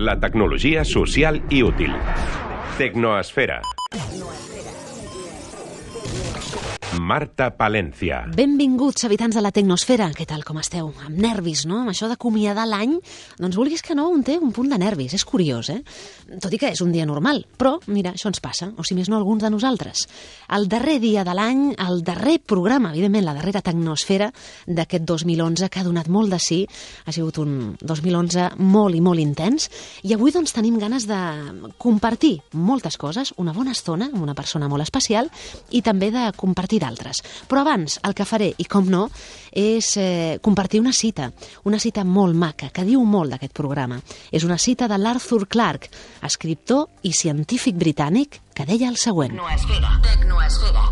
la tecnologia social i útil. Tecnoesfera. Marta Palencia. Benvinguts, habitants de la Tecnosfera. Què tal, com esteu? Amb nervis, no? Amb això d'acomiadar l'any, doncs vulguis que no, un té un punt de nervis. És curiós, Tot i que és un dia normal. Però, mira, això ens passa, o si més no, alguns de nosaltres. El darrer dia de l'any, el darrer programa, evidentment, la darrera Tecnosfera d'aquest 2011, que ha donat molt de sí. Ha sigut un 2011 molt i molt intens. I avui, doncs, tenim ganes de compartir moltes coses, una bona estona amb una persona molt especial i també de compartir d'altres. Però abans, el que faré, i com no, és compartir una cita molt maca, que diu molt d'aquest programa. És una cita de l'Arthur Clarke, escriptor i científic britànic, que deia el següent. Tecnoesfera.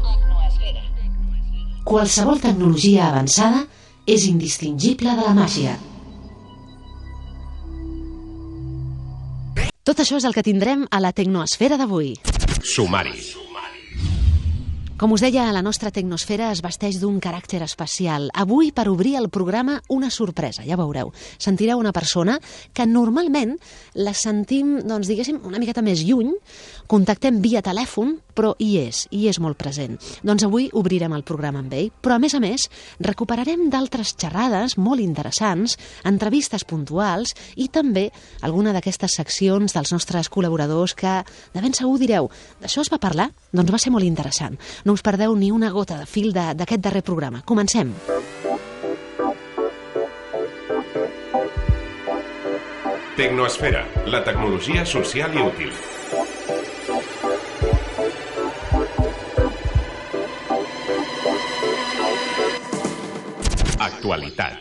Qualsevol tecnologia avançada és indistingible de la màgia. Tot això és el que tindrem a la Tecnoesfera d'avui. Sumari. Com us deia, la nostra Tecnosfera es vesteix d'un caràcter especial. Avui, per obrir el programa, una sorpresa, ja veureu. Sentireu una persona que normalment la sentim, doncs, diguéssim, una miqueta més lluny, contactem via telèfon, però hi és molt present. Doncs avui obrirem el programa amb ell, però a més, recuperarem d'altres xerrades molt interessants, entrevistes puntuals i també alguna d'aquestes seccions dels nostres col·laboradors que de ben segur direu, d'això es va parlar? Doncs va ser molt interessant. No us perdeu ni una gota de fil d'aquest darrer programa. Comencem. Tecnoesfera, la tecnologia social i útil. Actualitat.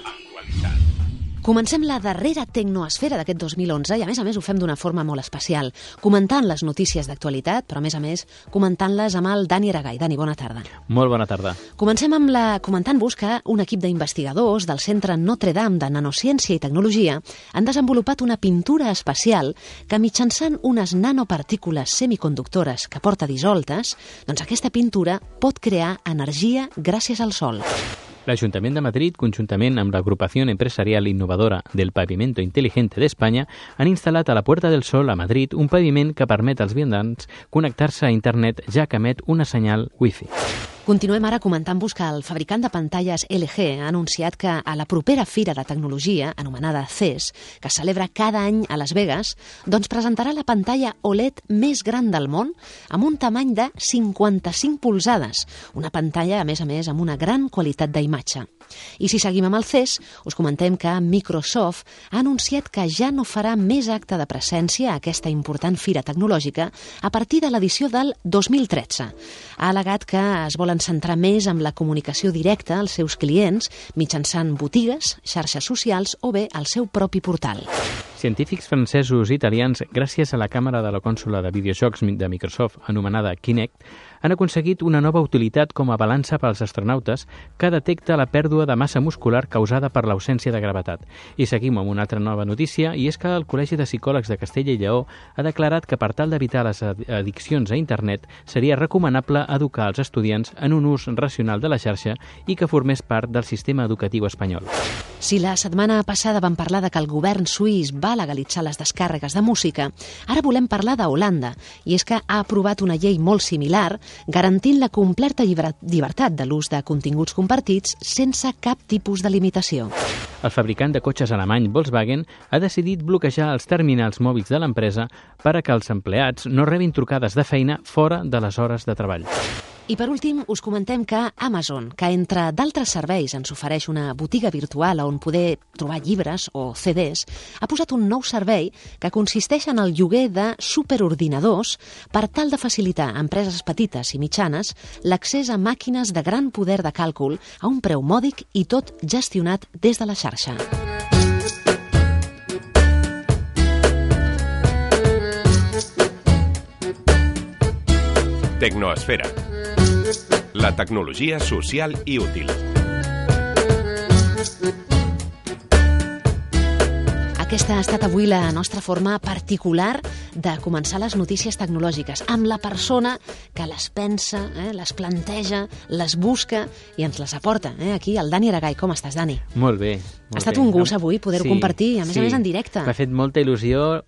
Comencem la darrera Tecnoesfera d'aquest 2011 i, a més, ho fem d'una forma molt especial, comentant les notícies d'actualitat, però, a més, comentant-les amb el Dani Aragay. Dani, bona tarda. Molt bona tarda. Comencem amb comentant-vos que un equip d'investigadors del Centre Notre Dame de Nanociència i Tecnologia han desenvolupat una pintura especial que, mitjançant unes nanopartícules semiconductores que porta dissoltes, doncs aquesta pintura pot crear energia gràcies al sol. L'Ajuntament de Madrid, conjuntament amb l'Agrupació Empresarial Innovadora del Pavimento Inteligente d'Espanya, han instal·lat a la Puerta del Sol a Madrid un paviment que permet als vianants connectar-se a internet, ja que emet una senyal Wi-Fi. Continuem ara comentant-vos que el fabricant de pantalles LG ha anunciat que a la propera Fira de Tecnologia, anomenada CES, que es celebra cada any a Las Vegas, doncs presentarà la pantalla OLED més gran del món amb un tamany de 55 polzades, una pantalla, a més, amb una gran qualitat d'imatge. I si seguim amb el CES, us comentem que Microsoft ha anunciat que ja no farà més acte de presència a aquesta important fira tecnològica a partir de l'edició del 2013. Ha al·legat que es volen centrar més en la comunicació directa als seus clients mitjançant botigues, xarxes socials o bé el seu propi portal. Científics francesos i italians, gràcies a la càmera de la consola de videojocs de Microsoft anomenada Kinect, han aconseguit una nova utilitat com a balança pels astronautes que detecta la pèrdua de massa muscular causada per l'ausència de gravetat. I seguim amb una altra nova notícia, i és que el Col·legi de Psicòlegs de Castella i Lleó ha declarat que per tal d'evitar les addiccions a internet seria recomanable educar els estudiants en un ús racional de la xarxa i que formés part del sistema educatiu espanyol. Si la setmana passada vam parlar de que el govern suís va legalitzar les descàrregues de música, ara volem parlar d'Holanda, i és que ha aprovat una llei molt similar garantint la completa llibertat de l'ús de continguts compartits sense cap tipus de limitació. El fabricant de cotxes alemany Volkswagen ha decidit bloquejar els terminals mòbils de l'empresa per a que els empleats no rebin trucades de feina fora de les hores de treball. I per últim, us comentem que Amazon, que entre d'altres serveis ens ofereix una botiga virtual on poder trobar llibres o CDs, ha posat un nou servei que consisteix en el lloguer de superordinadors per tal de facilitar a empreses petites i mitjanes l'accés a màquines de gran poder de càlcul a un preu mòdic i tot gestionat des de la xarxa. Tecnoesfera. La tecnologia social i útil. Aquesta ha estat avui la nostra forma particular de començar les notícies tecnològiques, amb la persona que les pensa, les planteja, les busca i ens les aporta. Aquí, el Dani Aragay. Com estàs, Dani? Molt bé. Ha estat un gust avui poder-ho compartir, a més en directe. M'ha fet molta il·lusió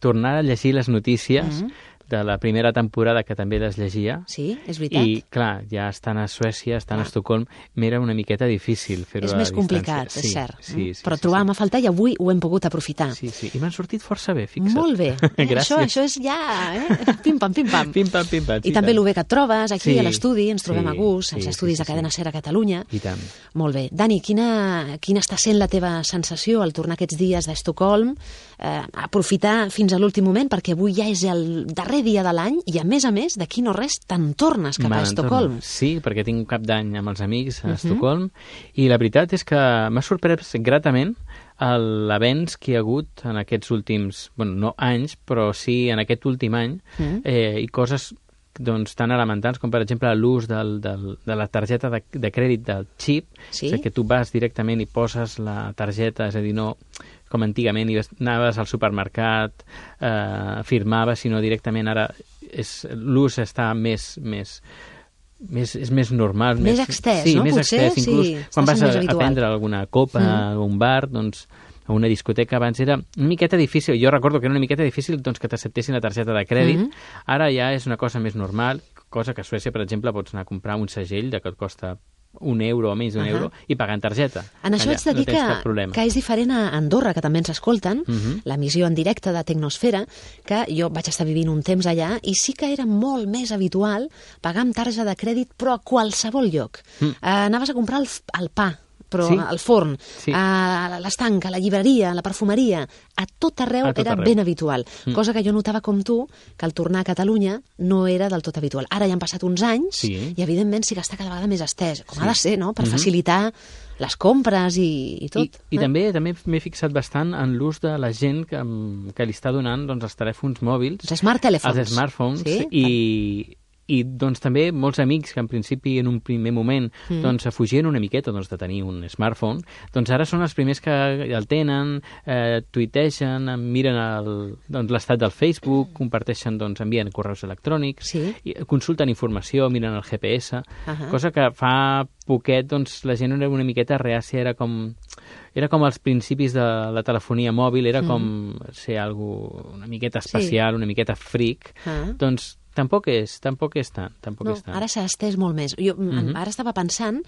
tornar a llegir les notícies de la primera temporada, que també les llegia. Sí, és veritat. I, clar, ja estan a Suècia, estan a Estocolm, m'era una miqueta difícil fer-ho a És més distància. complicat, és cert. Sí, però trobàvem a faltar i avui ho hem pogut aprofitar. Sí, i m'han sortit força bé, fixa't. Molt bé. Gràcies. Això és ja... Pim-pam, pim-pam. Pim-pam, pim-pam. I també el bé que et trobes aquí Sí, a l'estudi, ens trobem a gust, als sí, estudis de Cadena Ser a Catalunya. I tant. Molt bé. Dani, quina està sent la teva sensació al tornar aquests dies d'Estocolm? Aprofitar fins a l'últim moment, perquè avui ja és el darrer dia de l'any i, a més, d'aquí no res, te'n tornes cap a Estocolm. Sí, perquè tinc un cap d'any amb els amics a Estocolm i la veritat és que m'ha sorprès gratament l'avenç que hi ha hagut en aquests últims, bueno, no anys, però sí en aquest últim any, i coses doncs, tan elementals com, per exemple, l'ús de la targeta de crèdit del xip, és que tu vas directament i poses la targeta, és a dir, no com antigament anaves al supermercat, firmaves, sinó directament ara l'ús està és més normal. Més extès, sí, no? Més Potser, extès. Inclús quan vas a prendre alguna copa a un bar, doncs, a una discoteca, abans era una miqueta difícil. Jo recordo que era una miqueta difícil doncs, que t'acceptessin la targeta de crèdit. Ara ja és una cosa més normal, cosa que a Suècia, per exemple, pots anar a comprar un segell que et costa €1 o menys d'€1 i pagar en targeta. En això haig de dir que és diferent a Andorra, que també ens escolten, l'emissió en directe de Tecnosfera, que jo vaig estar vivint un temps allà i sí que era molt més habitual pagar amb targeta de crèdit, però a qualsevol lloc. Anaves a comprar el pa, però al forn, a l'estanc, a la llibreria, a la perfumeria, a tot arreu era ben habitual. Cosa que jo notava com tu, que al tornar a Catalunya no era del tot habitual. Ara ja han passat uns anys i, evidentment, sí que està cada vegada més estès, com ha de ser, no?, per facilitar les compres i tot. I també m'he fixat bastant en l'ús de la gent que li està donant doncs, els telèfons mòbils. Els smart telèfons. Els smartphones. I doncs, també molts amics que en principi en un primer moment doncs, fugien una miqueta doncs, de tenir un smartphone, doncs ara són els primers que el tenen, tuitegen, miren l'estat del Facebook, comparteixen, doncs, envien correus electrònics, consulten informació, miren el GPS, cosa que fa poquet doncs, la gent era una miqueta reàcia, era com als principis de la telefonia mòbil, era com ser una miqueta especial, una miqueta freak, doncs tampoc és tant. Ara s'ha estès molt més. Jo ara estava pensant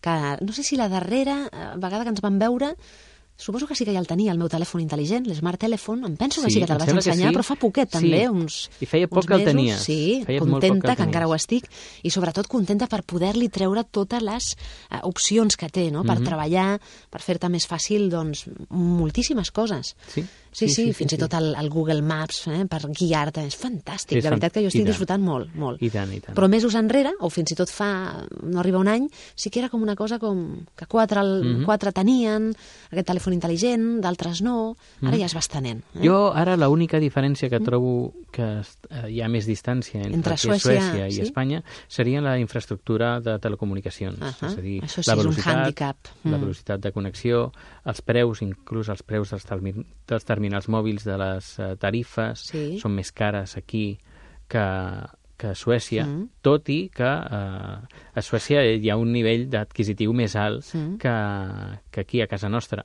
que, no sé si la darrera vegada que ens vam veure, suposo que sí que ja el tenia, el meu telèfon intel·ligent, l'Smart Telephone, em penso que sí que te'l vaig ensenyar, però fa poquet també, uns I feia poc que el tenies. Sí, contenta, que encara ho estic, i sobretot contenta per poder-li treure totes les opcions que té, no?, per treballar, per fer-te més fàcil, doncs, moltíssimes coses. Sí, fins i tot el Google Maps, per guiar-te, és fantàstic, la veritat que jo estic disfrutant molt, molt. I tant. Però mesos enrere, o fins i tot no arriba un any, sí que era com una cosa com que quatre tenien aquest telèfon intel·ligent, d'altres no, ara ja es va estenent. Jo ara l'única diferència que trobo que hi ha més distància entre Suècia i Espanya seria la infraestructura de telecomunicacions, és a dir, la velocitat de connexió, els preus, inclús els preus dels terminals mòbils de les tarifes són més cares aquí que a Suècia, tot i que a Suècia hi ha un nivell d'adquisitiu més alt que aquí a casa nostra.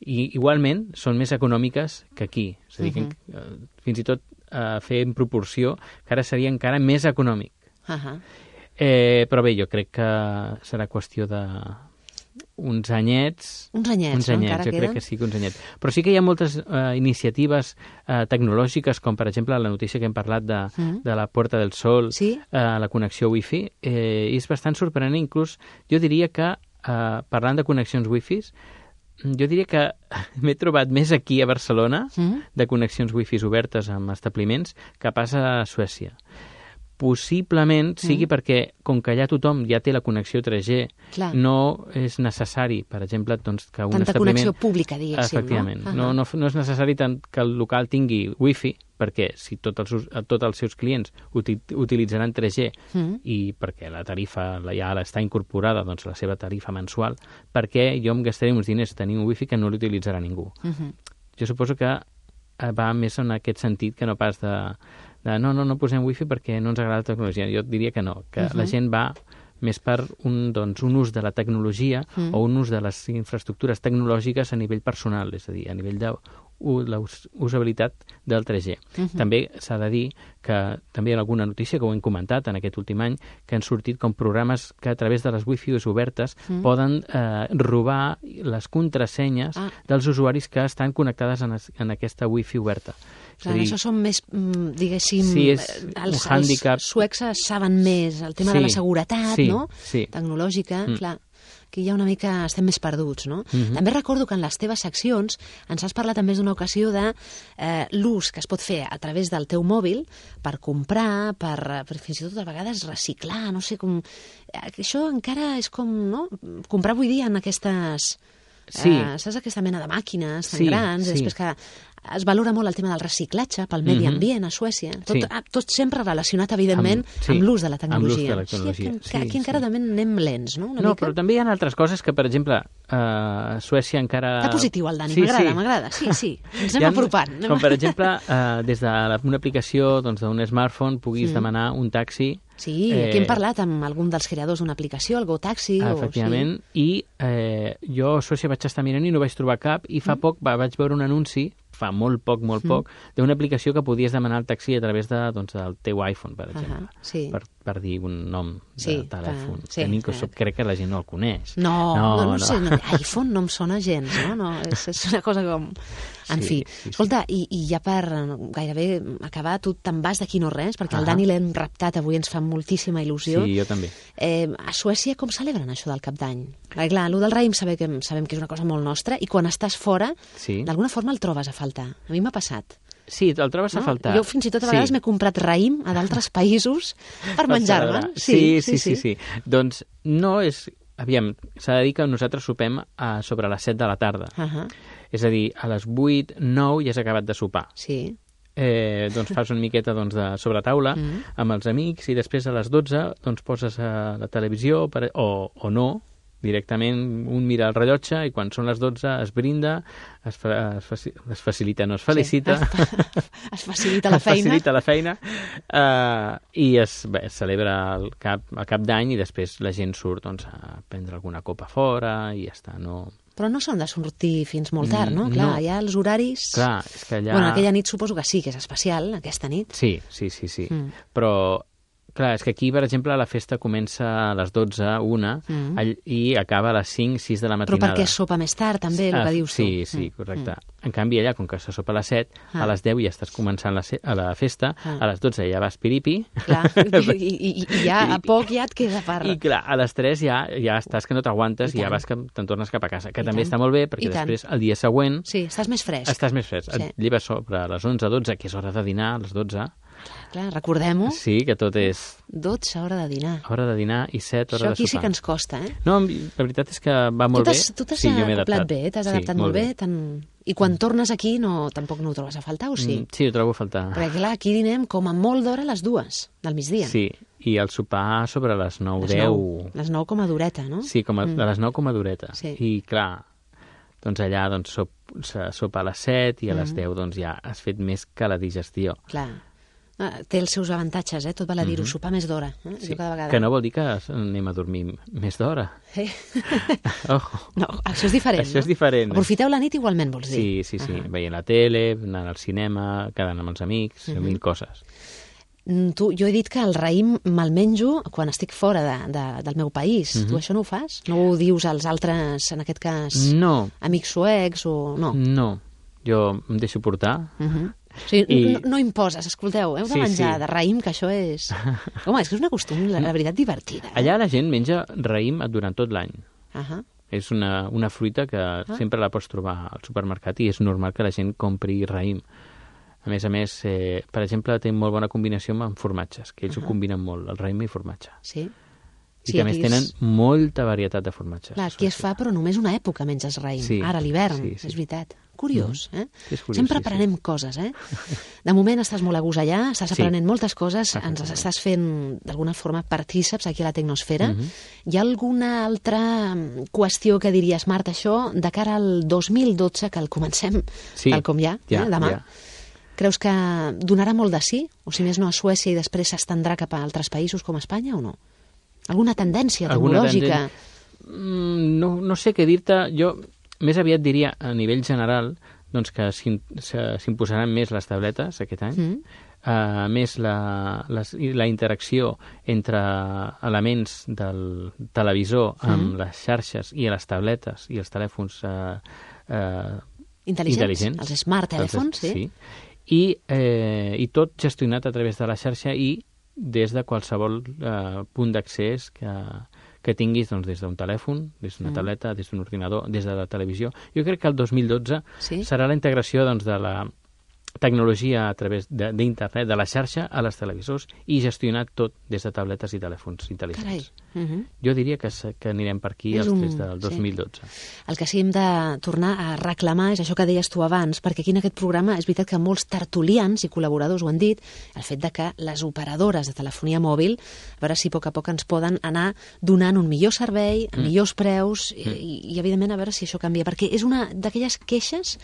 I igualment són més econòmiques que aquí. És a dir, que fins i tot fer en proporció que ara seria encara més econòmic. Però bé, jo crec que serà qüestió de uns anyets, jo crec que sí que uns anyets. Però sí que hi ha moltes iniciatives tecnològiques, com per exemple la notícia que hem parlat de la Puerta del Sol, la connexió Wi-Fi, és bastant sorprenent. Inclús jo diria que, parlant de connexions Wi-Fi, jo diria que m'he trobat més aquí a Barcelona de connexions Wi-Fi obertes amb establiments que passa a Suècia. Possiblement sigui perquè, com que allà tothom ja té la connexió 3G, no és necessari, per exemple, doncs, que un tanta establiment... connexió pública, diguéssim. Efectivament. No és necessari tant que el local tingui Wi-Fi, perquè si tots els seus clients utilitzaran 3G i perquè la tarifa ja està incorporada, doncs, la seva tarifa mensual, perquè jo em gastaré uns diners tenir un Wi-Fi que no l'utilitzarà ningú. Jo suposo que va més en aquest sentit que no pas de no posem wifi perquè no ens agrada la tecnologia. Jo diria que no, que la gent va més per un ús de la tecnologia o un ús de les infraestructures tecnològiques a nivell personal, és a dir, a nivell usabilitat del 3G. També s'ha de dir que també hi ha alguna notícia que ho hem comentat en aquest últim any, que han sortit com programes que a través de les wifi obertes poden robar les contrasenyes dels usuaris que estan connectades en aquesta wifi oberta. Clar, això són més, diguéssim, sí, els suecs saben més el tema de la seguretat, no? Sí. Tecnològica, clar. Aquí ja una mica estem més perduts, no? També recordo que en les teves seccions ens has parlat també d'una ocasió de l'ús que es pot fer a través del teu mòbil per comprar, per fins i tot a vegades reciclar, no sé com... Això encara és com, no? Comprar avui dia en aquestes... saps aquesta mena de màquines tan grans, i després que es valora molt el tema del reciclatge pel medi ambient a Suècia, tot sempre relacionat evidentment amb l'ús de la tecnologia. Aquí encara també anem lents, no? No, però també hi ha altres coses que, per exemple, a Suècia encara... Està positiu el Dani, m'agrada, sí, ens anem apropant. Com per exemple, des d'una aplicació d'un smartphone puguis demanar un taxi. Sí, aquí hem parlat amb algun dels creadors d'una aplicació, el GoTaxi. Efectivament, i jo a Suècia vaig estar mirant i no vaig trobar cap, i fa poc vaig veure un anunci, fa molt poc, d'una aplicació que podies demanar el taxi a través del teu iPhone, per exemple, per dir un nom de telèfon. Crec que la gent no el coneix. No sé, iPhone no em sona gens, no? És una cosa com... En fi, escolta, i ja per gairebé acabar, tu te'n vas d'aquí no res, perquè el Dani l'hem raptat avui, ens fa moltíssima il·lusió. Sí, jo també. A Suècia com celebren això del Cap d'Any? Perquè clar, el del raïm sabem que és una cosa molt nostra, i quan estàs fora, d'alguna forma el trobes a faltar. A mi m'ha passat. Sí, el trobes a faltar. Jo fins i tot a vegades m'he comprat raïm a d'altres països per menjar-me. Sí. Doncs no és... Aviam, s'ha de dir que nosaltres sopem sobre les 7 de la tarda. És a dir, a les 8, 9 ja has acabat de sopar. Sí. Doncs fas una miqueta de sobretaula amb els amics, i després a les 12 doncs poses a la televisió o no, directament un mira el rellotge, i quan són les 12 es brinda, es felicita es facilita la feina, i es celebra el cap d'any, i després la gent surt a prendre alguna copa fora i ja està, no... Però no són de sortir fins molt tard, no? Clar, hi ha els horaris... Clar, és que allà... Bueno, aquella nit suposo que sí, que és especial, aquesta nit. Sí. Però... Clar, és que aquí, per exemple, la festa comença a les 12, 1, i acaba a les 5, 6 de la matinada. Però perquè es sopa més tard, també, el que dius tu. Sí, correcte. En canvi, allà, com que se sopa a les 7, a les 10 ja estàs començant la festa, a les 12 ja vas piripi. Clar, i ja a poc ja et queda per... I clar, a les 3 ja estàs que no t'aguantes, i ja vas que te'n tornes cap a casa, que també està molt bé, perquè després, el dia següent... Sí, estàs més fresc. Et lleves sobre les 11, 12, que és hora de dinar, a les 12... Clar, recordem-ho. Sí, que tot és... 12, hora de dinar. Hora de dinar i 7, hora de sopar. Això aquí sí que ens costa, No, la veritat és que va molt bé. Tu t'has acoplat bé, t'has adaptat molt bé. I quan tornes aquí tampoc no ho trobes a faltar, o sí? Sí, ho trobo a faltar. Perquè clar, aquí dinem com a molt d'hora a les 2 del migdia. Sí, i el sopar sobre les 9, 10... Les 9 com a dureta, no? Sí, a les 9 com a dureta. Sí. I clar, doncs allà se sopa a les 7 i a les 10 ja has fet més que la digestió. Clar. Té els seus avantatges, tot val a dir-ho, sopar més d'hora. Sí. Que no vol dir que anem a dormir més d'hora. Ojo. No, això és diferent. Això és diferent. Aprofiteu la nit igualment, vols dir? Sí. Veient la tele, anant al cinema, quedant amb els amics, mil coses. Jo he dit que el raïm me'l menjo quan estic fora del meu país. Tu això no ho fas? No ho dius als altres, en aquest cas, amics suecs o... No, jo em deixo portar. Sí, no imposes, escolteu, heu de menjar de raïm, que això és... Home, és que és una costum, la veritat, divertida. Allà la gent menja raïm durant tot l'any. És una fruita que sempre la pots trobar al supermercat, i és normal que la gent compri raïm. A més, per exemple, té molt bona combinació amb formatges, que ells ho combinen molt, el raïm i formatge. Sí. I que a més tenen molta varietat de formatges. Clar, aquí es fa, però només una època menges raïm. Ara, a l'hivern, és veritat. Curiós, És curiós, sempre aprenem coses, De moment estàs molt a gust allà, estàs aprenent moltes coses, ens estàs fent d'alguna forma partíceps aquí a la Tecnosfera. Hi ha alguna altra qüestió que diries, Marta, això, de cara al 2012, que el comencem tal com ja, demà? Creus que donarà molt de sí? O si més no a Suècia i després s'estendrà cap a altres països com Espanya o no? Alguna tendència tecnològica? No sé què dir-te. Jo més aviat diria, a nivell general, doncs, que s'imposaran més les tabletes aquest any, més la interacció entre elements del televisor amb les xarxes i les tabletes i els telèfons intel·ligents, els smart telèfons, sí. I tot gestionat a través de la xarxa i des de qualsevol punt d'accés que tinguis doncs, des d'un telèfon, des d'una tableta, des d'un ordinador, des de la televisió. Jo crec que el 2012 serà la integració doncs, de la tecnologia a través d'internet, de la xarxa a les televisors i gestionar tot des de tabletes i telèfons intel·ligents. Jo diria que anirem per aquí des del 2012. El que sí hem de tornar a reclamar és això que deies tu abans, perquè aquí en aquest programa és veritat que molts tertulians i col·laboradors ho han dit, el fet de que les operadores de telefonia mòbil, a veure si a poc ens poden anar donant un millor servei, a millors preus i evidentment a veure si això canvia, perquè és una d'aquelles queixes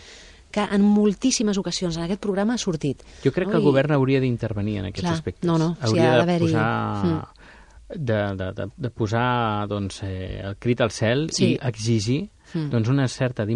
que en moltíssimes ocasions en aquest programa ha sortit. Jo crec que el govern hauria d'intervenir en aquests aspectes. Hauria de posar doncs, el crit al cel i exigir doncs, unes certes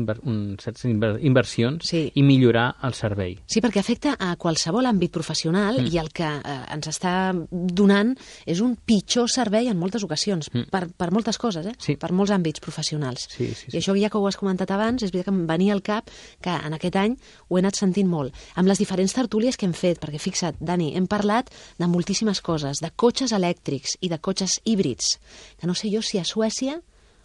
inversions i millorar el servei. Sí, perquè afecta a qualsevol àmbit professional i el que ens està donant és un pitjor servei en moltes ocasions, per moltes coses, per molts àmbits professionals. I això ja que ho has comentat abans, és veritat que em venia al cap que en aquest any ho he anat sentint molt. Amb les diferents tertúlies que hem fet, perquè fixa't, Dani, hem parlat de moltíssimes coses, de cotxes elèctrics i de cotxes híbrids, que no sé jo si a Suècia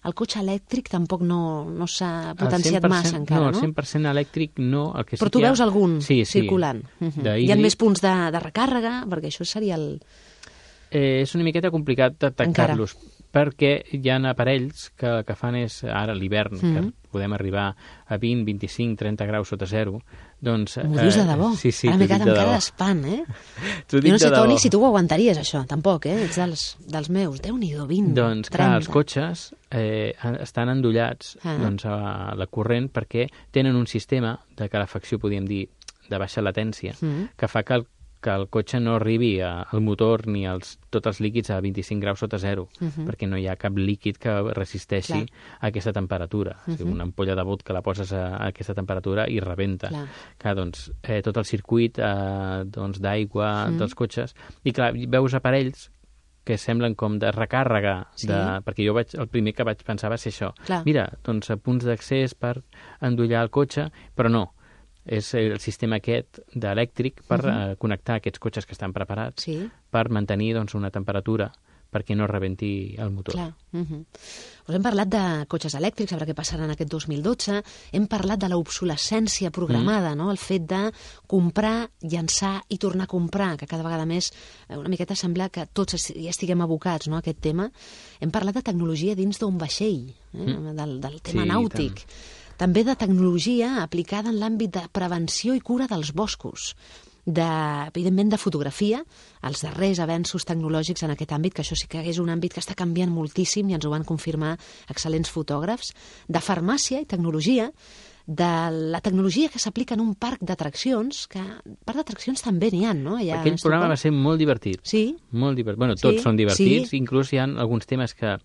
el cotxe elèctric tampoc no s'ha potenciat massa encara, no? No, el 100% elèctric no. Però tu veus algun circulant. Hi ha més punts de recàrrega, perquè això seria el... És una miqueta complicat detectar-los, perquè hi ha aparells que el que fan és, ara a l'hivern, que podem arribar a 20, 25, 30 graus sota zero, doncs... M'ho dius de debò? Sí, ara m'he quedat amb cara d'espant, Jo no sé, Toni, si tu ho aguantaries, això, tampoc, Ets dels meus. Déu-n'hi-do, 20, 30... Doncs, clar, els cotxes estan endollats a la corrent perquè tenen un sistema de calefacció, podríem dir, de baixa latència, que fa que el cotxe no arribi al motor ni tots els líquids a 25 graus sota zero, perquè no hi ha cap líquid que resisteixi a aquesta temperatura. O sigui, una ampolla de vodka la poses a aquesta temperatura i rebenta. Doncs, tot el circuit d'aigua dels cotxes. I clar, veus aparells que semblen com de recàrrega, perquè jo el primer que vaig pensar va ser això. Mira, doncs punts d'accés per endollar el cotxe, però no. És el sistema aquest d'elèctric per connectar aquests cotxes que estan preparats per mantenir doncs, una temperatura perquè no rebenti el motor. Clar. Us hem parlat de cotxes elèctrics, a veure què passarà en aquest 2012. Hem parlat de l'obsolescència programada, no? El fet de comprar, llançar i tornar a comprar, que cada vegada més una miqueta sembla que tots ja estiguem abocats, no, a aquest tema. Hem parlat de tecnologia dins d'un vaixell, del tema nàutic. També de tecnologia aplicada en l'àmbit de prevenció i cura dels boscos, evidentment de fotografia, els darrers avenços tecnològics en aquest àmbit, que això sí que és un àmbit que està canviant moltíssim i ens ho van confirmar excel·lents fotògrafs, de farmàcia i tecnologia, de la tecnologia que s'aplica en un parc d'atraccions, que parc d'atraccions també n'hi ha, no? Aquell programa va ser molt divertit. Sí? Molt divertit. Bueno, tots són divertits, inclús hi ha alguns temes que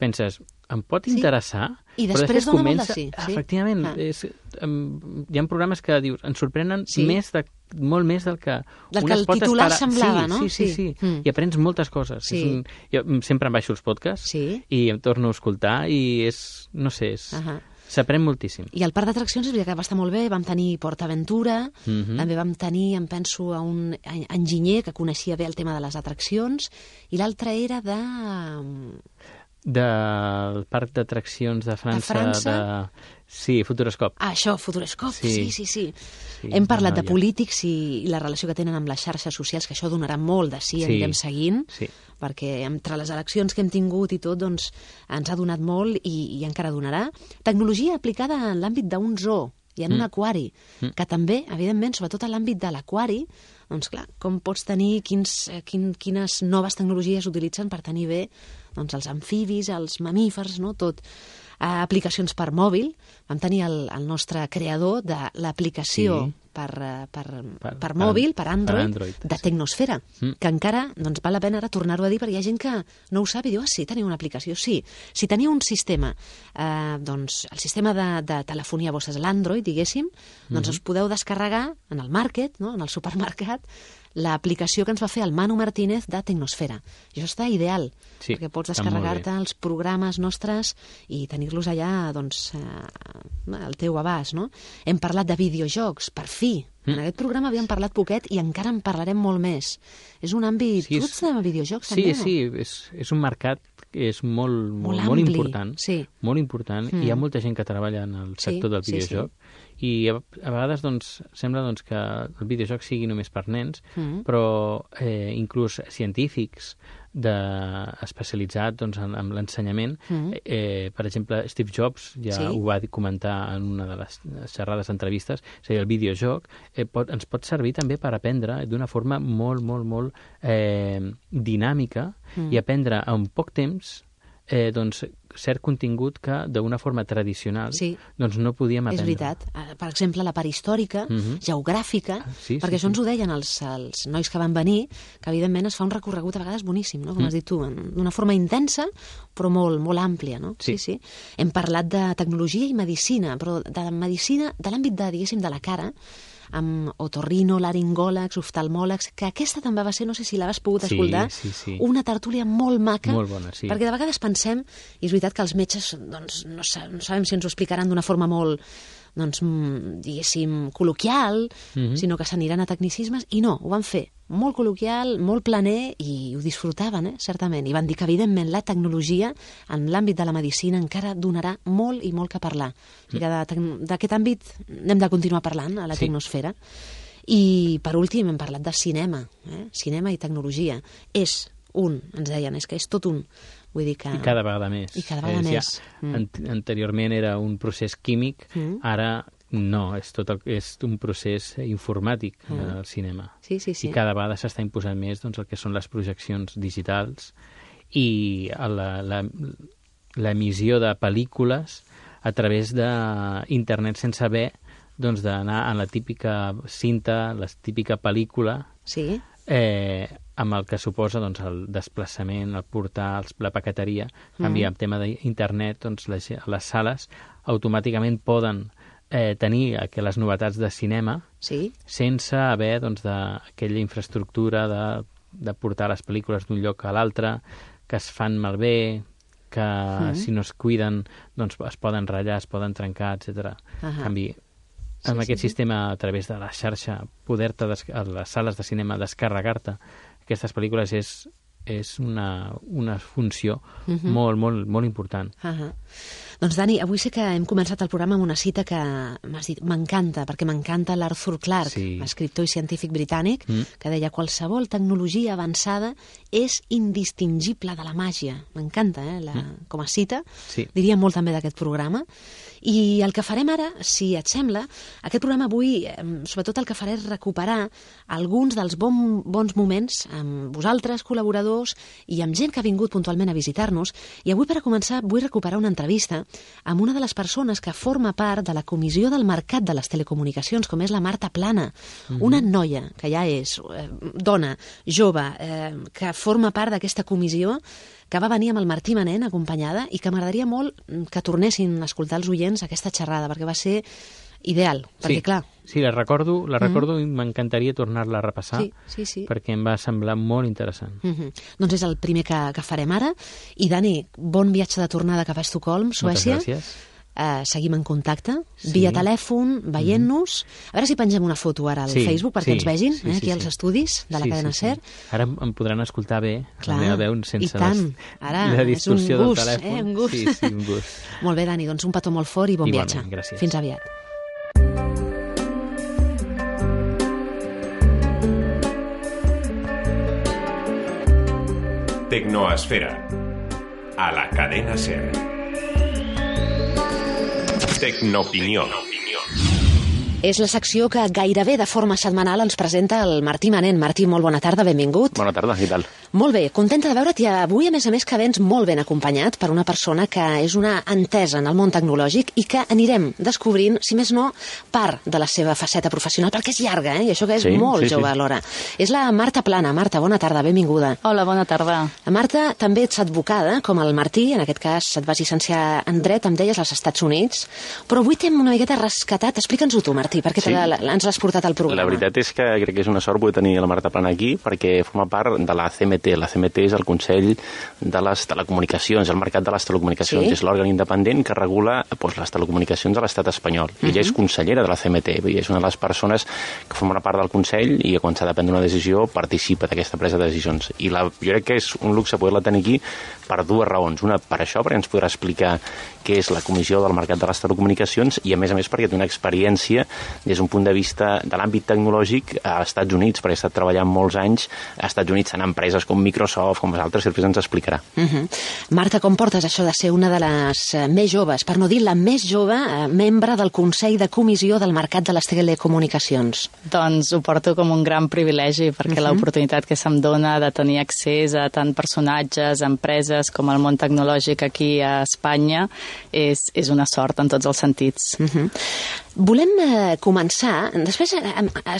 penses, em pot interessar? I després dona molt de sí. Efectivament, hi ha programes que dius, ens sorprenen molt més del que el titular semblava, no? Sí. I aprens moltes coses. Jo sempre em baixo els podcasts i em torno a escoltar i s'aprèn moltíssim. I el parc d'atraccions és veritat que va estar molt bé, vam tenir PortAventura, també vam tenir, em penso, a un enginyer que coneixia bé el tema de les atraccions, i l'altre era del parc d'atraccions de França. Sí, Futuroscope. Això, Futuroscope, sí. Hem parlat de polítics i la relació que tenen amb les xarxes socials, que això donarà molt de sí, anirem seguint, perquè entre les eleccions que hem tingut i tot, doncs, ens ha donat molt i encara donarà. Tecnologia aplicada en l'àmbit d'un zoo i en un aquari, que també, evidentment, sobretot en l'àmbit de l'aquari, doncs clar, com pots tenir, quines noves tecnologies s'utilitzen per tenir bé doncs, els amfibis, els mamífers, no? Tot. Aplicacions per mòbil. Vam tenir el nostre creador de l'aplicació per mòbil, per Android, de Tecnosfera, que encara doncs, val la pena ara tornar-ho a dir perquè hi ha gent que no ho sap i diu, sí, teniu una aplicació. Sí, si teniu un sistema, doncs el sistema de telefonia vostra és l'Android, diguéssim, doncs us podeu descarregar en el market, no? En el supermercat, l'aplicació que ens va fer el Manu Martínez de Tecnosfera. I això està ideal, perquè pots descarregar-te els programes nostres i tenir-los allà doncs, al teu abast. No? Hem parlat de videojocs, per fi. En aquest programa havíem parlat poquet i encara en parlarem molt més. És un àmbit... Tu ets de videojocs, també, no? Sí, és un mercat que és molt important. Sí. Molt important. Hi ha molta gent que treballa en el sector del videojoc. I a vegades doncs, sembla doncs, que el videojoc sigui només per nens, però inclús científics especialitzats doncs, en l'ensenyament. Per exemple, Steve Jobs ja ho va comentar en una de les xerrades entrevistes, és a dir, el videojoc ens pot servir també per aprendre d'una forma molt dinàmica i aprendre en poc temps doncs, cert contingut que d'una forma tradicional doncs no podíem aprendre. És veritat. Per exemple, la part històrica, geogràfica, perquè això ens ho deien els nois que van venir, que evidentment es fa un recorregut a vegades boníssim, no? Com has dit tu, d'una forma intensa, però molt àmplia. No? Sí. Hem parlat de tecnologia i medicina, però de medicina, de l'àmbit diguéssim, de la cara, amb otorrinolaringòlegs, oftalmòlegs, que aquesta també va ser, no sé si l'has pogut escoltar, una tertúlia molt maca, molt bona, perquè de vegades pensem, i és veritat que els metges doncs, no sabem si ens ho explicaran d'una forma molt, doncs, diguéssim, col·loquial, sinó que s'aniran a tecnicismes, i no, ho van fer molt col·loquial, molt planer, i ho disfrutaven, certament. I van dir que, evidentment, la tecnologia en l'àmbit de la medicina encara donarà molt i molt que parlar. O sigui que d'aquest àmbit hem de continuar parlant a la Tecnosfera. I, per últim, hem parlat de cinema. Cinema i tecnologia. Ens deien, és que és tot un. Vull dir que... I cada vegada més. Anteriorment era un procés químic, ara no, és un procés informàtic al cinema. Sí. I cada vegada s'està imposant més doncs, el que són les projeccions digitals i l'emissió de pel·lícules a través d'internet sense haver doncs, d'anar a la típica cinta, la típica pel·lícula, amb el que suposa doncs, el desplaçament, el portar, la paqueteria. En canvi, en tema d'internet, doncs, les sales automàticament poden tenir les novetats de cinema sense haver doncs, aquella infraestructura de portar les pel·lícules d'un lloc a l'altre, que es fan malbé, que si no es cuiden doncs, es poden ratllar, es poden trencar, etc. En canvi, amb aquest sistema, a través de la xarxa, poder-te a les sales de cinema descarregar-te aquestes pel·lícules és una funció molt important. Doncs, Dani, avui sé que hem començat el programa amb una cita que m'has dit, m'encanta, perquè m'encanta l'Arthur Clarke, escriptor i científic britànic, que deia qualsevol tecnologia avançada és indistingible de la màgia. M'encanta, com a cita. Diria molt també d'aquest programa. I el que farem ara, si et sembla, aquest programa avui, sobretot el que faré és recuperar alguns dels bons moments amb vosaltres, col·laboradors, i amb gent que ha vingut puntualment a visitar-nos. I avui, per a començar, vull recuperar una entrevista amb una de les persones que forma part de la Comissió del Mercat de les Telecomunicacions, com és la Marta Plana, una noia que ja és dona, jove, que forma part d'aquesta comissió, que va venir amb el Martí Manent acompanyada i que m'agradaria molt que tornessin a escoltar els oients aquesta xerrada, perquè va ser ideal, perquè clar... Sí, la recordo i m'encantaria tornar-la a repassar, perquè em va semblar molt interessant. Doncs és el primer que farem ara. I Dani, bon viatge de tornada cap a Estocolm, Suècia. Moltes gràcies. Seguim en contacte, via telèfon, veient-nos. A veure si pengem una foto ara al Facebook perquè ens vegin, aquí als estudis de la cadena SER. Ara em podran escoltar bé, la meva veu sense la distorsió del telèfon. Un gust. Sí, un gust. Molt bé, Dani, doncs un petó molt fort i bon viatge. Gràcies. Fins aviat. Tecnoesfera, a la cadena SER. Tecnoopinió. És la secció que gairebé de forma setmanal ens presenta el Martí Manent. Martí, molt bona tarda, benvingut. Bona tarda, què tal? Molt bé, contenta de veure't i avui, a més que vens molt ben acompanyat per una persona que és una entesa en el món tecnològic i que anirem descobrint, si més no, part de la seva faceta professional, perquè és llarga, i això que és molt jove alhora. És la Marta Plana. Marta, bona tarda, benvinguda. Hola, bona tarda. La Marta també ets advocada, com el Martí, en aquest cas et vas llicenciar en dret, em deies, als Estats Units, però avui t'hem una miqueta rescatat. Explica'ns-ho tu, Martí, perquè ens l'has portat al programa. La veritat és que crec que és una sort poder tenir la Marta Plana aquí, perquè forma part de la CMT. La CMT és el Consell de les Telecomunicacions, el mercat de les telecomunicacions. És l'òrgan independent que regula les telecomunicacions a l'estat espanyol. Ella és consellera de la CMT, i és una de les persones que forma part del Consell i quan s'ha de prendre una decisió participa d'aquesta presa de decisions. I jo crec que és un luxe poder-la tenir aquí per dues raons. Una, per això, perquè ens podrà explicar què és la Comissió del Mercat de les Telecomunicacions i, a més, perquè té una experiència des d'un punt de vista de l'àmbit tecnològic als Estats Units, perquè ha estat treballant molts anys als Estats Units en empreses com Microsoft, com les altres, i després ens explicarà. Marta, com portes això de ser una de les més joves, per no dir la més jove, membre del Consell de Comissió del Mercat de les Telecomunicacions? Doncs ho porto com un gran privilegi, perquè l'oportunitat que se'm dona de tenir accés a tant personatges, empreses, com el món tecnològic aquí a Espanya, és una sort en tots els sentits. Volem començar, després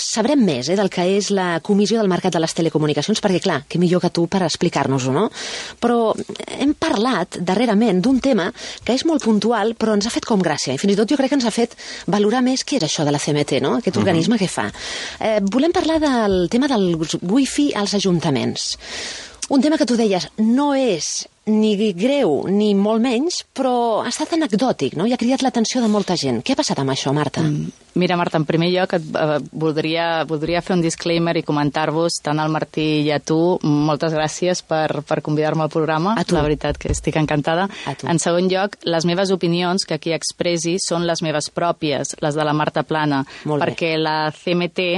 sabrem més del que és la Comissió del Mercat de les Telecomunicacions, perquè clar, què millor que tu per explicar-nos-ho, no? Però hem parlat darrerament d'un tema que és molt puntual, però ens ha fet com gràcia, i fins i tot jo crec que ens ha fet valorar més què és això de la CMT, no? Aquest organisme que fa. Volem parlar del tema del wifi als ajuntaments. Un tema que tu deies no és ni greu ni molt menys, però ha estat anecdòtic, no? I ha cridat l'atenció de molta gent. Què ha passat amb això, Marta? Mira, Marta, en primer lloc voldria fer un disclaimer i comentar-vos, tant al Martí i a tu, moltes gràcies per convidar-me al programa. La veritat que estic encantada. En segon lloc, les meves opinions que aquí expressi són les meves pròpies, les de la Marta Plana, perquè la CMT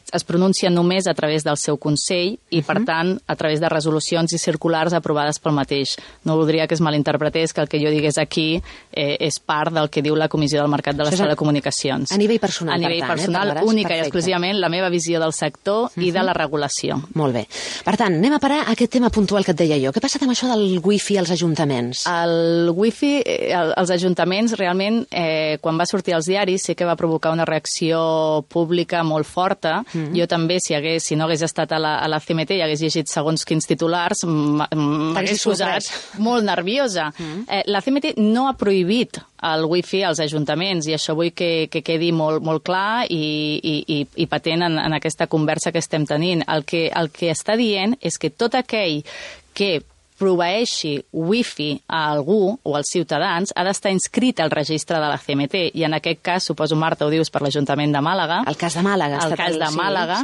es pronuncia només a través del seu Consell i, per tant, a través de resolucions i circulars aprovades pel mateix. No voldria que es malinterpretés que el que jo digués aquí és part del que diu la Comissió del Mercat de les Telecomunicacions. A nivell personal, a nivell personal, única i exclusivament la meva visió del sector i de la regulació. Molt bé. Per tant, anem a parar a aquest tema puntual que et deia jo. Què ha passat amb això del wifi als ajuntaments? El wifi als ajuntaments, realment, quan va sortir als diaris, sí que va provocar una reacció pública molt forta. Jo també, si no hagués estat a la CMT i hagués llegit segons quins titulars, m'hagués posat molt nerviosa. La CMT no ha prohibit el wifi als ajuntaments i això vull que quedi molt clar i patent en aquesta conversa que estem tenint. El que està dient és que tot aquell que proveeixi wifi a algú o als ciutadans ha d'estar inscrit al registre de la CMT i en aquest cas, suposo, Marta, ho dius per l'Ajuntament de Màlaga. El cas de Màlaga. El cas de Màlaga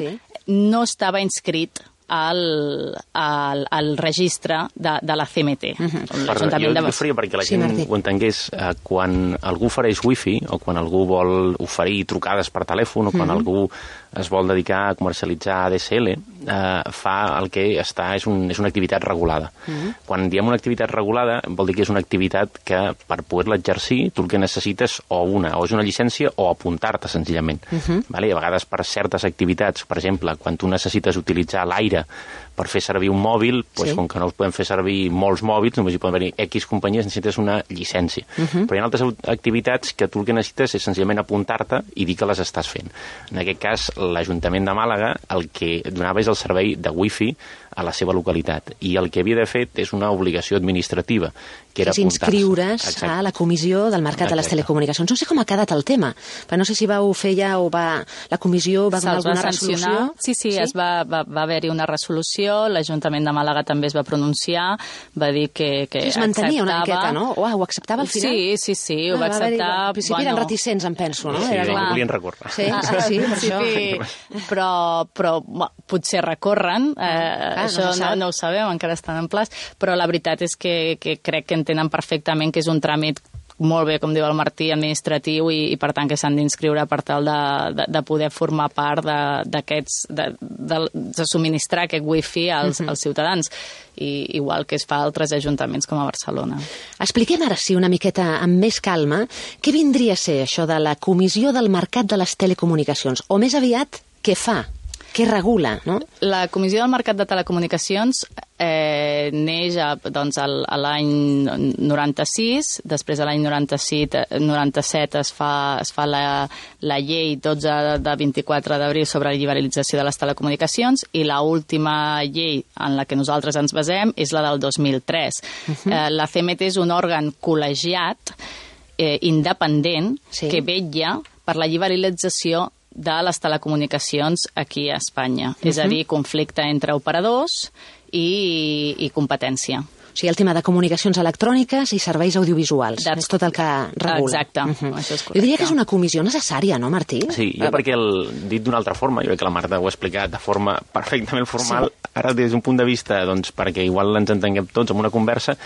no estava inscrit al registre de la CMT. Jo faria perquè la gent ho entengués. Quan algú ofereix wifi o quan algú vol oferir trucades per telèfon o quan algú es vol dedicar a comercialitzar ADSL, fa el que està és una activitat regulada. Quan diem una activitat regulada vol dir que és una activitat que per poder-la exercir tu el que necessites o és una llicència o apuntar-te senzillament. A vegades per certes activitats, per exemple, quan tu necessites utilitzar l'aire per fer servir un mòbil, com que no els podem fer servir molts mòbils, només hi poden haver X companyies, necessites una llicència. Però hi ha altres activitats que tu el que necessites és senzillament apuntar-te i dir que les estàs fent. En aquest cas, l'Ajuntament de Màlaga el que donava és el servei de wifi a la seva localitat. I el que havia de fer és una obligació administrativa, que era apuntar-se. Inscriure's a la Comissió del Mercat de les Telecomunicacions. No sé com ha quedat el tema, però no sé si vau fer ja o la Comissió va donar alguna resolució. Sí, va haver-hi una resolució, l'Ajuntament de Màlaga també es va pronunciar, va dir que es mantenia una miqueta, no? Ho acceptava al final? Sí, ho va acceptar. Al principi eren reticents, em penso, no? Sí, no volien recórrer. Sí, per això. Però potser recorren, això no ho sabem, encara estan en plaç, però la veritat és que crec que entenen perfectament que és un tràmit molt bé, com diu el Martí, administratiu i per tant que s'han d'inscriure per tal de poder formar part d'aquests, de subministrar aquest wifi als ciutadans, igual que es fa a altres ajuntaments com a Barcelona. Expliquem ara sí una miqueta amb més calma què vindria a ser això de la Comissió del Mercat de les Telecomunicacions, o més aviat, què fa? Què regula, no? La Comissió del Mercat de Telecomunicacions neix a l'any 96, després de l'any 97 es fa la llei 12 de 24 d'abril sobre la liberalització de les telecomunicacions i l'última llei en la que nosaltres ens basem és la del 2003. La CMT és un òrgan col·legiat independent que vetlla per la liberalització de les telecomunicacions aquí a Espanya. És a dir, conflicte entre operadors i competència. O sigui, el tema de comunicacions electròniques i serveis audiovisuals. És tot el que regula. Exacte. Això és correcte. Jo diria que és una comissió necessària, no, Martí? Sí, jo perquè dit d'una altra forma, jo crec que la Marta ho ha explicat de forma perfectament formal, ara des d'un punt de vista, doncs, perquè igual ens entenguem tots en una conversa,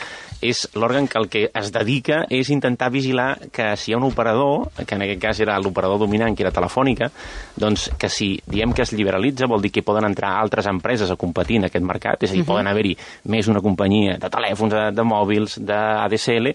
és l'òrgan que el que es dedica és intentar vigilar que si hi ha un operador, que en aquest cas era l'operador dominant, que era Telefònica, doncs que si diem que es liberalitza vol dir que poden entrar altres empreses a competir en aquest mercat, és a dir, poden haver-hi més una companyia de telèfons, de mòbils, d'ADSL,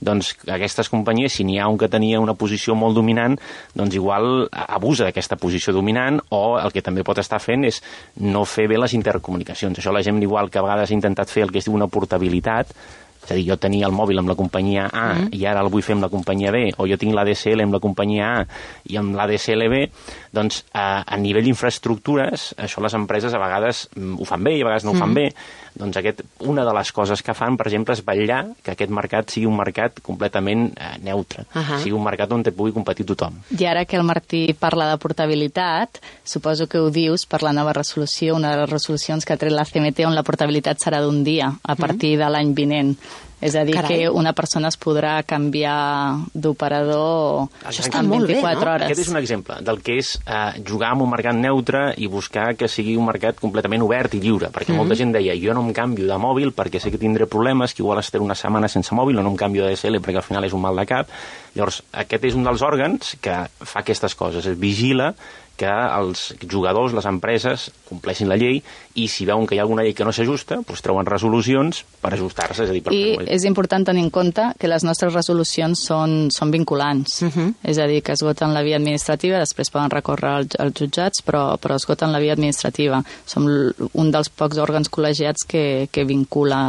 doncs aquestes companyies, si n'hi ha un que tenia una posició molt dominant, doncs igual abusa d'aquesta posició dominant o el que també pot estar fent és no fer bé les intercomunicacions. Això la gent igual que a vegades ha intentat fer el que es diu una portabilitat, és a dir, jo tenia el mòbil amb la companyia A i ara el vull fer amb la companyia B, o jo tinc l'ADSL amb la companyia A i amb l'ADSL B, doncs a nivell d'infraestructures, això les empreses a vegades ho fan bé i a vegades no ho fan bé. Doncs una de les coses que fan, per exemple, és vetllar que aquest mercat sigui un mercat completament neutre, sigui un mercat on pugui competir tothom. I ara que el Martí parla de portabilitat, suposo que ho dius per la nova resolució, una de les resolucions que ha tret la CMT on la portabilitat serà d'un dia, a partir de l'any vinent. És a dir, que una persona es podrà canviar d'operador en 24 hores. Aquest és un exemple del que és jugar en un mercat neutre i buscar que sigui un mercat completament obert i lliure, perquè molta gent deia, jo no em canvio de mòbil perquè sé que tindré problemes, que igual estaré una setmana sense mòbil o no em canvio d'ADSL perquè al final és un mal de cap. Llavors, aquest és un dels òrgans que fa aquestes coses, es vigila que els jugadors, les empreses, compleixin la llei i si veuen que hi ha alguna llei que no s'ajusta, doncs treuen resolucions per ajustar-se. És important tenir en compte que les nostres resolucions són vinculants. És a dir, que esgoten la via administrativa, després poden recórrer als jutjats, però esgoten la via administrativa. Som un dels pocs òrgans col·legiats que vincula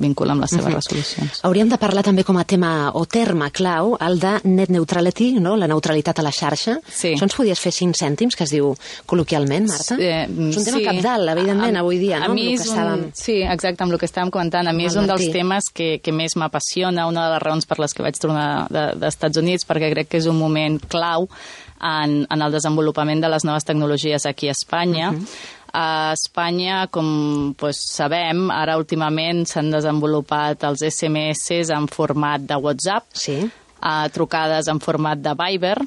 amb les seves resolucions. Hauríem de parlar també com a tema o terme clau el de net neutrality, no? La neutralitat a la xarxa. Sí. Això ens podies fer 5 cèntims, que es diu col·loquialment, Marta? És un tema cabdal, evidentment, avui dia, no? Sí, exacte, amb el que estàvem comentant. A mi és un dels temes que més m'apassiona, una de les raons per les que vaig tornar dels Estats Units, perquè crec que és un moment clau en el desenvolupament de les noves tecnologies aquí a Espanya. A Espanya, com sabem, ara últimament s'han desenvolupat els SMS en format de WhatsApp, trucades en format de Viber,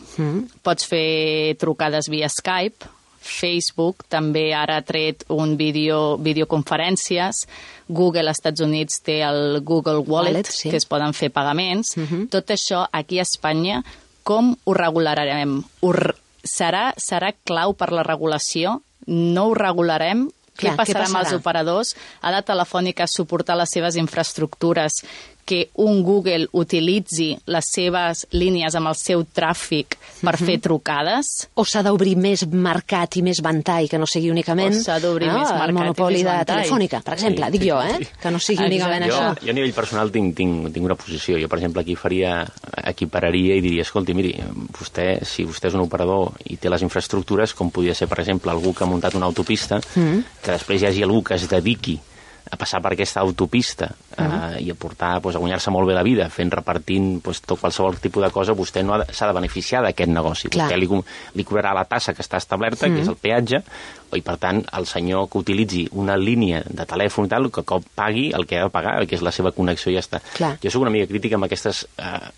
pots fer trucades via Skype, Facebook també ara ha tret un videoconferències, Google als Estats Units té el Google Wallet, que es poden fer pagaments. Tot això aquí a Espanya, com ho regularem? Serà clau per la regulació? No ho regularem? Què passarà amb els operadors? Ha de Telefònica suportar les seves infraestructures que un Google utilitzi les seves línies amb el seu tràfic per fer trucades? O s'ha d'obrir més mercat i més ventall, que no sigui únicament el monopoli de Telefònica, per exemple, dic jo, que no sigui únicament això. Jo a nivell personal tinc una posició. Jo, per exemple, equipararia i diria, escolti, miri, si vostè és un operador i té les infraestructures, com podria ser, per exemple, algú que ha muntat una autopista, que després hi hagi algú que es dediqui a passar per aquesta autopista i a portar, a guanyar-se molt bé la vida repartint tot qualsevol tipus de cosa, vostè no s'ha de beneficiar d'aquest negoci. Vostè li cobrarà la tassa que està establerta, que és el peatge, i per tant el senyor que utilitzi una línia de telèfon i tal, que pagui el que ha de pagar, que és la seva connexió i ja està. Jo soc una mica crítica amb aquests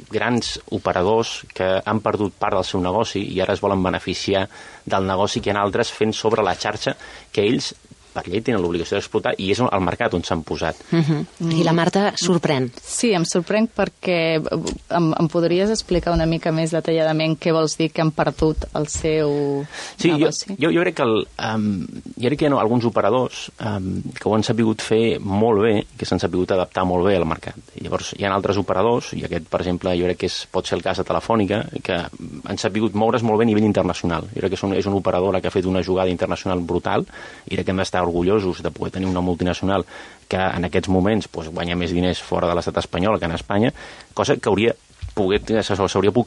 grans operadors que han perdut part del seu negoci i ara es volen beneficiar del negoci que hi ha altres fent sobre la xarxa que ells per llei tenen l'obligació d'explotar i és el mercat on s'han posat. I la Marta sorprèn. Sí, em sorprèn perquè em podries explicar una mica més detalladament què vols dir que han perdut el seu negoci? Jo crec que jo crec que hi ha alguns operadors que ho han sabut fer molt bé, que s'han sabut adaptar molt bé al mercat. Llavors hi ha altres operadors, i aquest, per exemple, jo crec que pot ser el cas de Telefònica, que han sabut moure's molt bé a nivell internacional. Jo crec que és una operadora que ha fet una jugada internacional brutal, i crec que hem d'estar orgullosos de poder tenir una multinacional que en aquests moments guanya més diners fora de l'estat espanyol que en Espanya, cosa que s'hauria pogut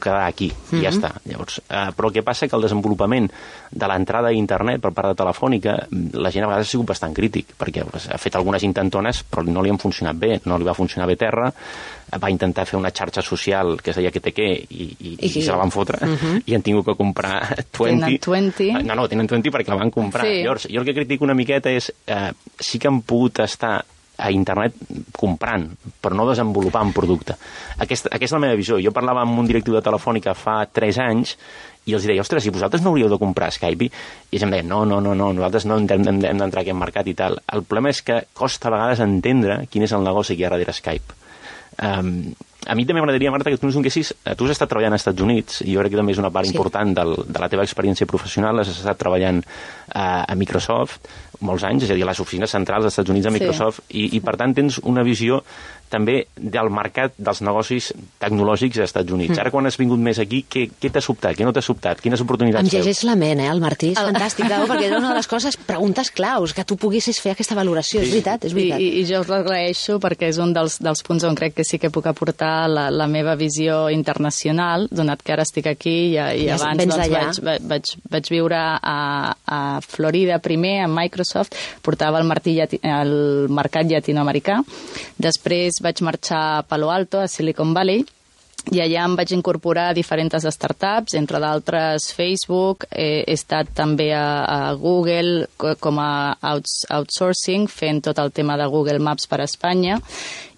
quedar aquí, i ja està. Llavors, però el que passa que el desenvolupament de l'entrada a internet per part de Telefònica, la gent a vegades ha sigut bastant crític, perquè ha fet algunes intentones, però no li han funcionat bé, no li va funcionar bé Terra, va intentar fer una xarxa social que es deia QTQ i se la van fotre, i han tingut que comprar 20. Tenen 20 perquè la van comprar. Sí. Llavors, jo el que critico una miqueta és sí que han pogut estar a internet comprant, però no desenvolupant producte. Aquesta és la meva visió. Jo parlava amb un directiu de Telefònica fa 3 anys i els deia, ostres, si vosaltres no hauríeu de comprar Skype, i ells em deien, no, nosaltres no hem d'entrar a aquest mercat i tal. El problema és que costa a vegades entendre quin és el negoci que hi ha darrere Skype. A mi també m'agradaria, Marta, que tu ens donessis... Tu has estat treballant als Estats Units, i jo crec que també és una part important de la teva experiència professional. Has estat treballant a Microsoft molts anys, és a dir, a les oficines centrals dels Estats Units a Microsoft, i per tant tens una visió també del mercat dels negocis tecnològics als Estats Units. Ara, quan has vingut més aquí, què t'ha sobtat? Què no t'ha sobtat? Quines oportunitats veus? Em llegeix la ment, el Martí, és fantàstic, perquè és una de les coses, preguntes claus, que tu poguessis fer aquesta valoració. És veritat, és veritat. I jo us l'agraeixo perquè és un dels punts on crec que sí que puc aportar la meva visió internacional, donat que ara estic aquí i abans vaig viure a Florida primer, a Microsoft, portava el mercat llatinoamericà. Després vaig marxar a Palo Alto, a Silicon Valley, i allà em vaig incorporar a diferents startups, entre d'altres Facebook, he estat també a Google com a outsourcing, fent tot el tema de Google Maps per a Espanya,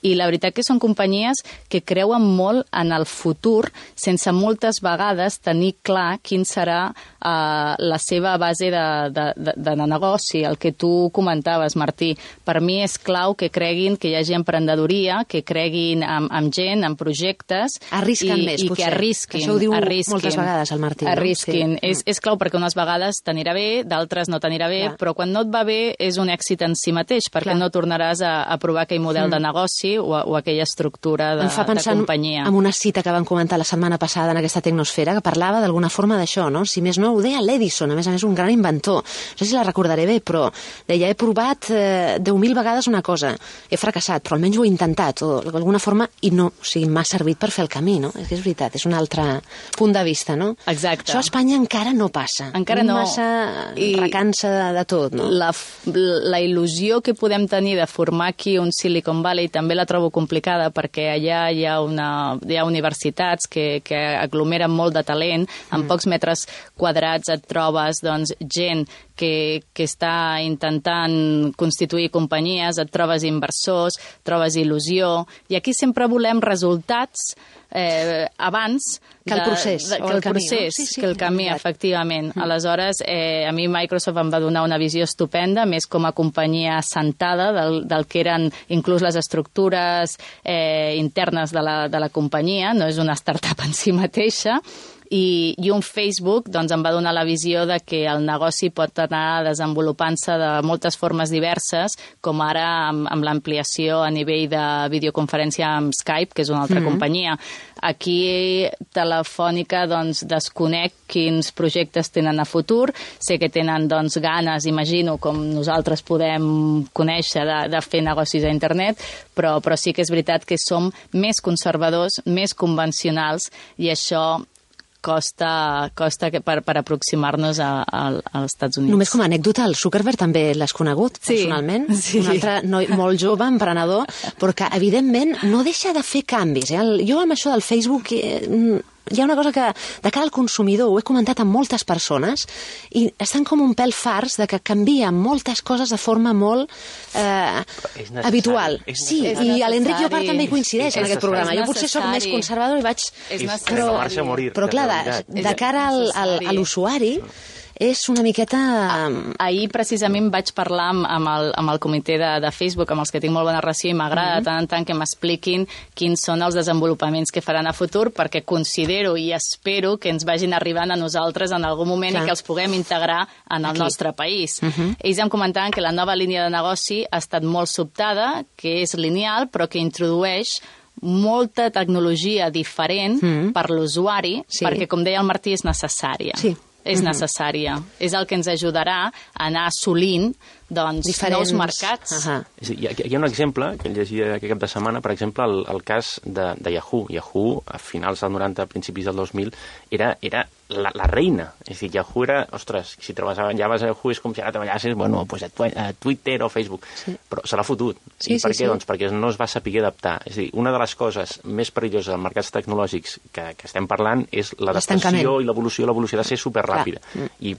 i la veritat que són companyies que creuen molt en el futur sense moltes vegades tenir clar quin serà la seva base de negoci. El que tu comentaves, Martí, per mi és clau que creguin que hi hagi emprenedoria, que creguin en gent, en projectes, arrisquen més, i que arrisquin. Això ho diu moltes vegades el Martí. Arrisquin. No? Sí. És clau perquè unes vegades t'anirà bé, d'altres no t'anirà bé, però quan no et va bé és un èxit en si mateix, perquè no tornaràs a provar aquell model de negoci o aquella estructura de companyia. Em fa pensar en una cita que van comentar la setmana passada en aquesta Tecnosfera, que parlava d'alguna forma d'això, no? Si més no, ho deia l'Edison, a més un gran inventor. No sé si la recordaré bé, però deia, he provat 10.000 vegades una cosa, he fracassat, però almenys ho he intentat, o d'alguna forma, i no, o sigui, m'ha servit per fer el camí, no? És que és veritat, és un altre punt de vista, no? Exacte. Això a Espanya encara no passa. Encara no. Massa recança de tot, no? La il·lusió que podem tenir de formar aquí un Silicon Valley també la trobo complicada perquè allà hi ha universitats que aglomeren molt de talent. En pocs metres quadrats et trobes gent que està intentant constituir companyies, et trobes inversors, trobes il·lusió, i aquí sempre volem resultats abans que el procés, que el camí, efectivament. Aleshores, a mi Microsoft em va donar una visió estupenda, més com a companyia assentada del que eren inclús les estructures internes de la companyia, no és una startup en si mateixa, i un Facebook em va donar la visió de que el negoci pot anar desenvolupant-se de moltes formes diverses, com ara amb l'ampliació a nivell de videoconferència amb Skype, que és una altra companyia. Aquí Telefònica desconec quins projectes tenen a futur. Sé que tenen ganes, imagino, com nosaltres podem conèixer, de fer negocis a internet, però sí que és veritat que som més conservadors, més convencionals, i això costa per aproximar-nos als Estats Units. Només com a anècdota, el Zuckerberg també l'has conegut, personalment? Sí. Un altre noi molt jove, emprenedor, però que, evidentment, no deixa de fer canvis. Jo amb això del Facebook hi ha una cosa que, de cara al consumidor, ho he comentat amb moltes persones, i estan com un pèl farts de que canvien moltes coses de forma molt habitual. Sí, i l'Enric Llopart també hi coincideix en aquest programa. Jo potser soc més conservador i vaig... Però clar, de cara a l'usuari, és una miqueta... Ahir precisament vaig parlar amb el comitè de Facebook, amb els que tinc molt bona relació, i m'agrada tant en tant que m'expliquin quins són els desenvolupaments que faran a futur, perquè considero i espero que ens vagin arribant a nosaltres en algun moment i que els puguem integrar en el nostre país. Ells em comentaven que la nova línia de negoci ha estat molt sobtada, que és lineal, però que introdueix molta tecnologia diferent per l'usuari, perquè, com deia el Martí, és necessària. Sí. És necessària. És el que ens ajudarà a anar assolint nous mercats. Hi ha un exemple que llegia aquest cap de setmana, per exemple, el cas de Yahoo. Yahoo, a finals del 90, a principis del 2000, era la reina. És a dir, Yahoo era, ostres, si treballaves a Yahoo és com si ara treballassis, a Twitter o Facebook. Però se l'ha fotut. I per què? Doncs perquè no es va saber adaptar. És a dir, una de les coses més perilloses dels mercats tecnològics que estem parlant és l'adaptació i l'evolució. L'evolució ha de ser superràpida.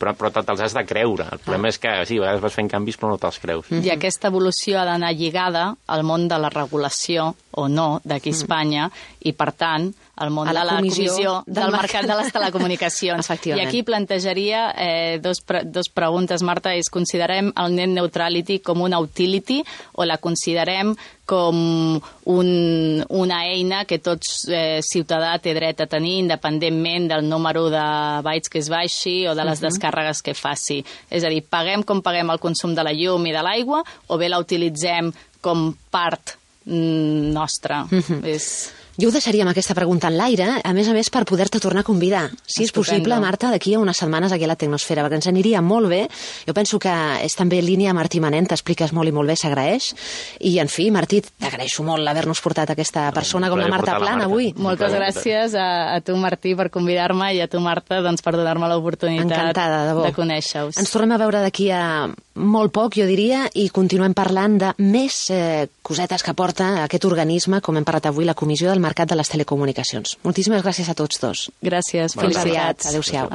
Però te'ls has de creure. El problema és que, sí, a vegades vas fent canvis però no te'ls creus. I aquesta evolució ha d'anar lligada al món de la regulació, o no, d'aquí a Espanya, i, per tant, al món de la comissió del mercat de les telecomunicacions. I aquí plantejaria dos preguntes, Marta, és: considerem el net neutrality com una utility o la considerem com una eina que tot ciutadà té dret a tenir, independentment del número de bytes que es baixi o de les descàrregues que faci? És a dir, paguem com paguem el consum de la llum i de l'aigua, o bé la utilitzem com part nostra? Jo ho deixaríem aquesta pregunta en l'aire, a més, per poder-te tornar a convidar. Si és possible, Marta, d'aquí a unes setmanes aquí a la Tecnosfera, perquè ens aniria molt bé. Jo penso que és també línia Martí Manent, t'expliques molt i molt bé, s'agraeix. I, en fi, Martí, t'agraeixo molt haver-nos portat aquesta persona com la Marta Plana avui. Moltes gràcies a tu, Martí, per convidar-me, i a tu, Marta, per donar-me l'oportunitat de conèixer-us. Ens tornem a veure d'aquí a molt poc, jo diria, i continuem parlant de més cosetes que porta aquest organisme, com hem parlat avui, la Comissió del Mercat de les Telecomunicacions. Moltíssimes gràcies a tots dos. Gràcies. Fins aviat. Adéu-siau.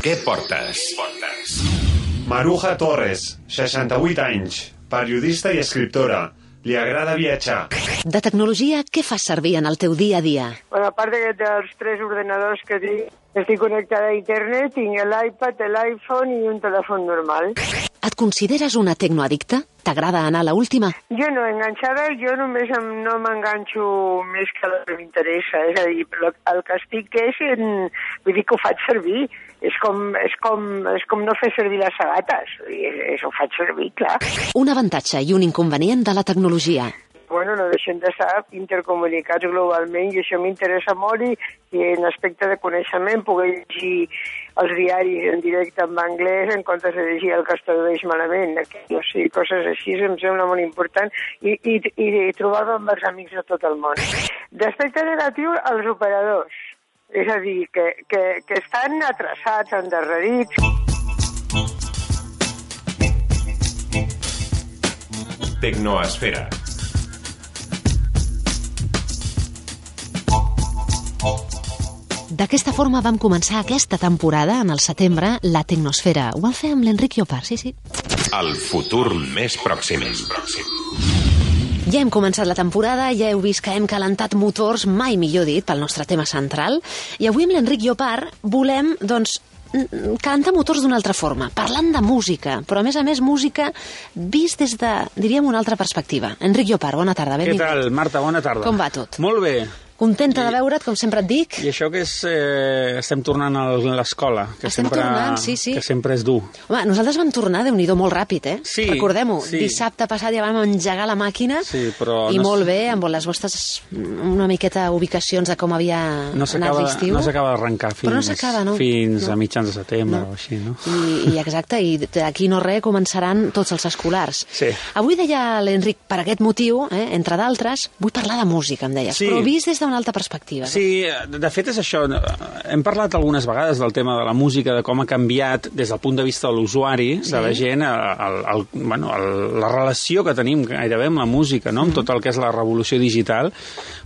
Què portes? Maruja Torres, 68 anys, periodista i escriptora. Li agrada viatjar. De tecnologia, què fas servir en el teu dia a dia? Bueno, a part dels 3 ordenadors que tinc, estic connectada a internet, tinc l'iPad, l'iPhone i un telèfon normal. Et consideres una tecnoaddicta? T'agrada anar a l'última? Jo no, enganxada, jo només no m'enganxo més que el que m'interessa. És a dir, el que estic vull dir que ho faig servir. És com no fer servir les sabates. Ho faig servir, clar. Un avantatge i un inconvenient de la tecnologia. Bueno, no deixem d'estar intercomunicats globalment i això m'interessa molt i en aspecte de coneixement poder llegir els diaris en directe en anglès en comptes de llegir el que es tradueix malament. O sigui, coses així em sembla molt important i trobar-me amb els amics de tot el món. D'aspecte negatiu, els operadors. És a dir, que estan atrasats, endarrerits. Tecnoesfera. D'aquesta forma vam començar aquesta temporada, en el setembre, la Tecnosfera. Ho vam fer amb l'Enric Llopart, sí. El futur més pròxim. Ja hem començat la temporada, ja heu vist que hem calentat motors, mai millor dit, pel nostre tema central, i avui amb l'Enric Llopart volem, calentar motors d'una altra forma, parlant de música, però a més música vist des de, diríem, una altra perspectiva. Enric Llopart, bona tarda, benvingut. Què tal, Marta? Bona tarda. Com va tot? Molt bé. Contenta de veure't, com sempre et dic. I això que és... estem tornant a l'escola, que que sempre és dur. Home, nosaltres vam tornar, Déu-n'hi-do, molt ràpid, eh? Sí. Recordem-ho, sí. Dissabte passat ja vam engegar la màquina, però i molt bé, amb les vostres una miqueta ubicacions de com havia anat l'estiu. No s'acaba d'arrencar fins a mitjans de setembre o així, no? I exacte, i d'aquí no res començaran tots els escolars. Sí. Avui deia l'Enric, per aquest motiu, entre d'altres, vull parlar de música, em deies, però vist des d'una altra perspectiva. Sí, de fet és això. Hem parlat algunes vegades del tema de la música, de com ha canviat des del punt de vista de l'usuari, de la gent, la relació que tenim gairebé amb la música, no? Amb tot el que és la revolució digital,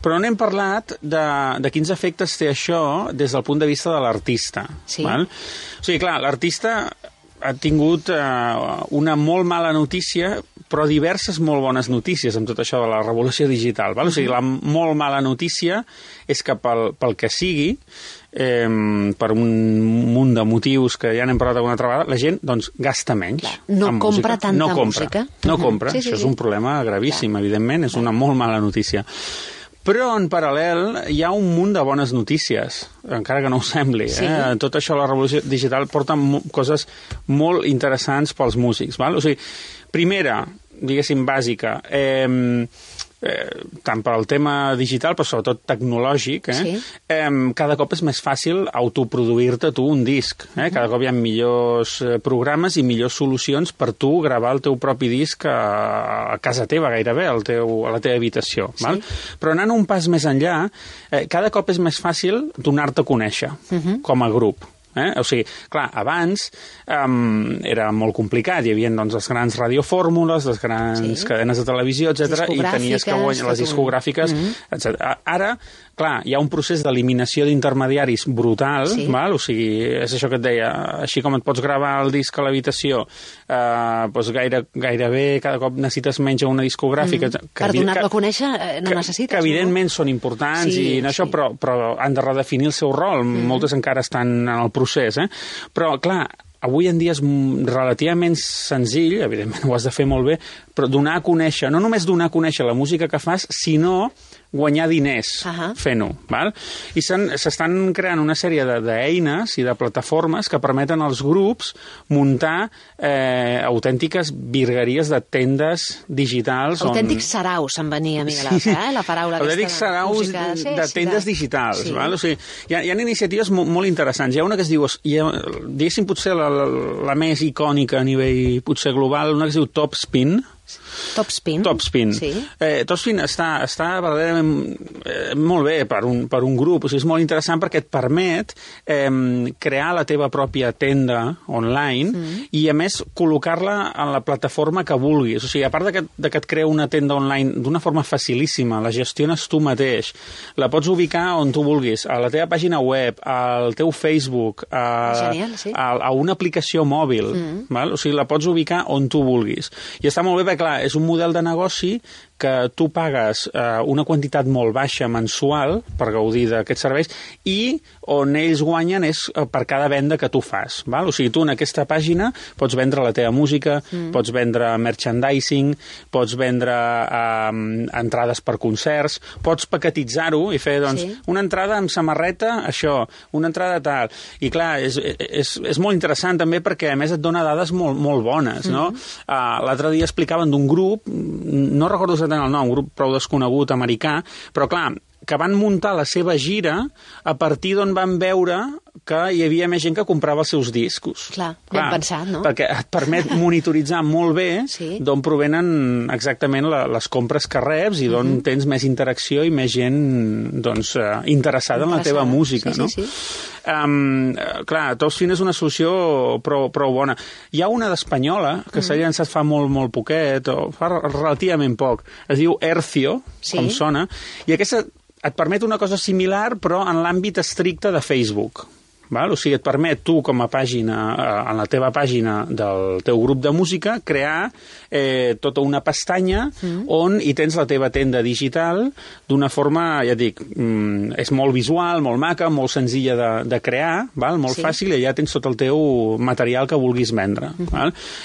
però no hem parlat de quins efectes té això des del punt de vista de l'artista. Sí. Val? O sigui, clar, l'artista ha tingut una molt mala notícia però diverses molt bones notícies amb tot això de la revolució digital. Val? O sigui, la molt mala notícia és que pel que sigui, per un munt de motius que ja n'hem parlat alguna altra vegada, la gent doncs, gasta menys. No compra tanta música. No compra. Això és un problema gravíssim, evidentment. És una molt mala notícia. Però, en paral·lel, hi ha un munt de bones notícies, encara que no ho sembli. Tot això, la revolució digital, porta coses molt interessants pels músics. Val? O sigui, primera, diguéssim, bàsica, tant per al tema digital, però sobretot tecnològic, cada cop és més fàcil autoproduir-te tu un disc. Cada cop hi ha millors programes i millors solucions per tu gravar el teu propi disc a casa teva, gairebé, a la teva habitació. Val? Però anant un pas més enllà, cada cop és més fàcil donar-te a conèixer com a grup. O sigui, clar, abans era molt complicat, hi havia doncs, les grans radiofórmules, les grans cadenes de televisió, etc. I tenies que guanyar les discogràfiques, etc. Ara, clar, hi ha un procés d'eliminació d'intermediaris brutal, val? O sigui, és això que et deia, així com et pots gravar el disc a l'habitació, doncs gairebé cada cop necessites menys una discogràfica. Per donar-lo a conèixer no necessites. Que evidentment són importants, però han de redefinir el seu rol. Moltes encara estan en el procés, però, clar, avui en dia és relativament senzill, evidentment ho has de fer molt bé, però donar a conèixer, no només donar a conèixer la música que fas, sinó guanyar diners fent-ho. I s'estan creant una sèrie d'eines i de plataformes que permeten als grups muntar autèntiques virgueries de tendes digitals. Autèntics saraus, em venia, Miguel Alfa, la paraula aquesta. Autèntics saraus de tendes digitals. O sigui, hi ha iniciatives molt interessants. Hi ha una que es diu, diguéssim potser la més icònica a nivell potser global, una que es diu Topspin. Topspin? Topspin. Topspin està verdaderament molt bé per un grup. O sigui, és molt interessant perquè et permet crear la teva pròpia tenda online i, a més, col·locar-la en la plataforma que vulguis. O sigui, a part de que et crea una tenda online d'una forma facilíssima, la gestiones tu mateix, la pots ubicar on tu vulguis, a la teva pàgina web, al teu Facebook, a una aplicació mòbil. O sigui, la pots ubicar on tu vulguis. I està molt bé perquè, clar, és un model de negoci que tu pagues una quantitat molt baixa mensual per gaudir d'aquests serveis i on ells guanyen és per cada venda que tu fas. O sigui, tu en aquesta pàgina pots vendre la teva música, pots vendre merchandising, pots vendre entrades per concerts, pots paquetitzar-ho i fer una entrada amb samarreta, això, una entrada tal. I clar, és molt interessant també perquè a més et dona dades molt bones. L'altre dia explicaven d'un grup, no recordo exactament el nom, un grup prou desconegut americà, però clar, que van muntar la seva gira a partir d'on van veure que hi havia més gent que comprava els seus discos. Clar, ben pensat, no? Perquè et permet monitoritzar molt bé d'on provenen exactament les compres que reps i d'on tens més interacció i més gent interessada en la teva música. Clar, Topspin és una solució prou bona. Hi ha una d'espanyola que s'ha llançat fa molt poquet, o fa relativament poc. Es diu Hercio, com sona, i aquesta et permet una cosa similar, però en l'àmbit estricte de Facebook. O sigui, et permet tu, com a pàgina, en la teva pàgina del teu grup de música, crear tota una pestanya on hi tens la teva tenda digital d'una forma, ja dic, és molt visual, molt maca, molt senzilla de crear, molt fàcil, i allà tens tot el teu material que vulguis vendre.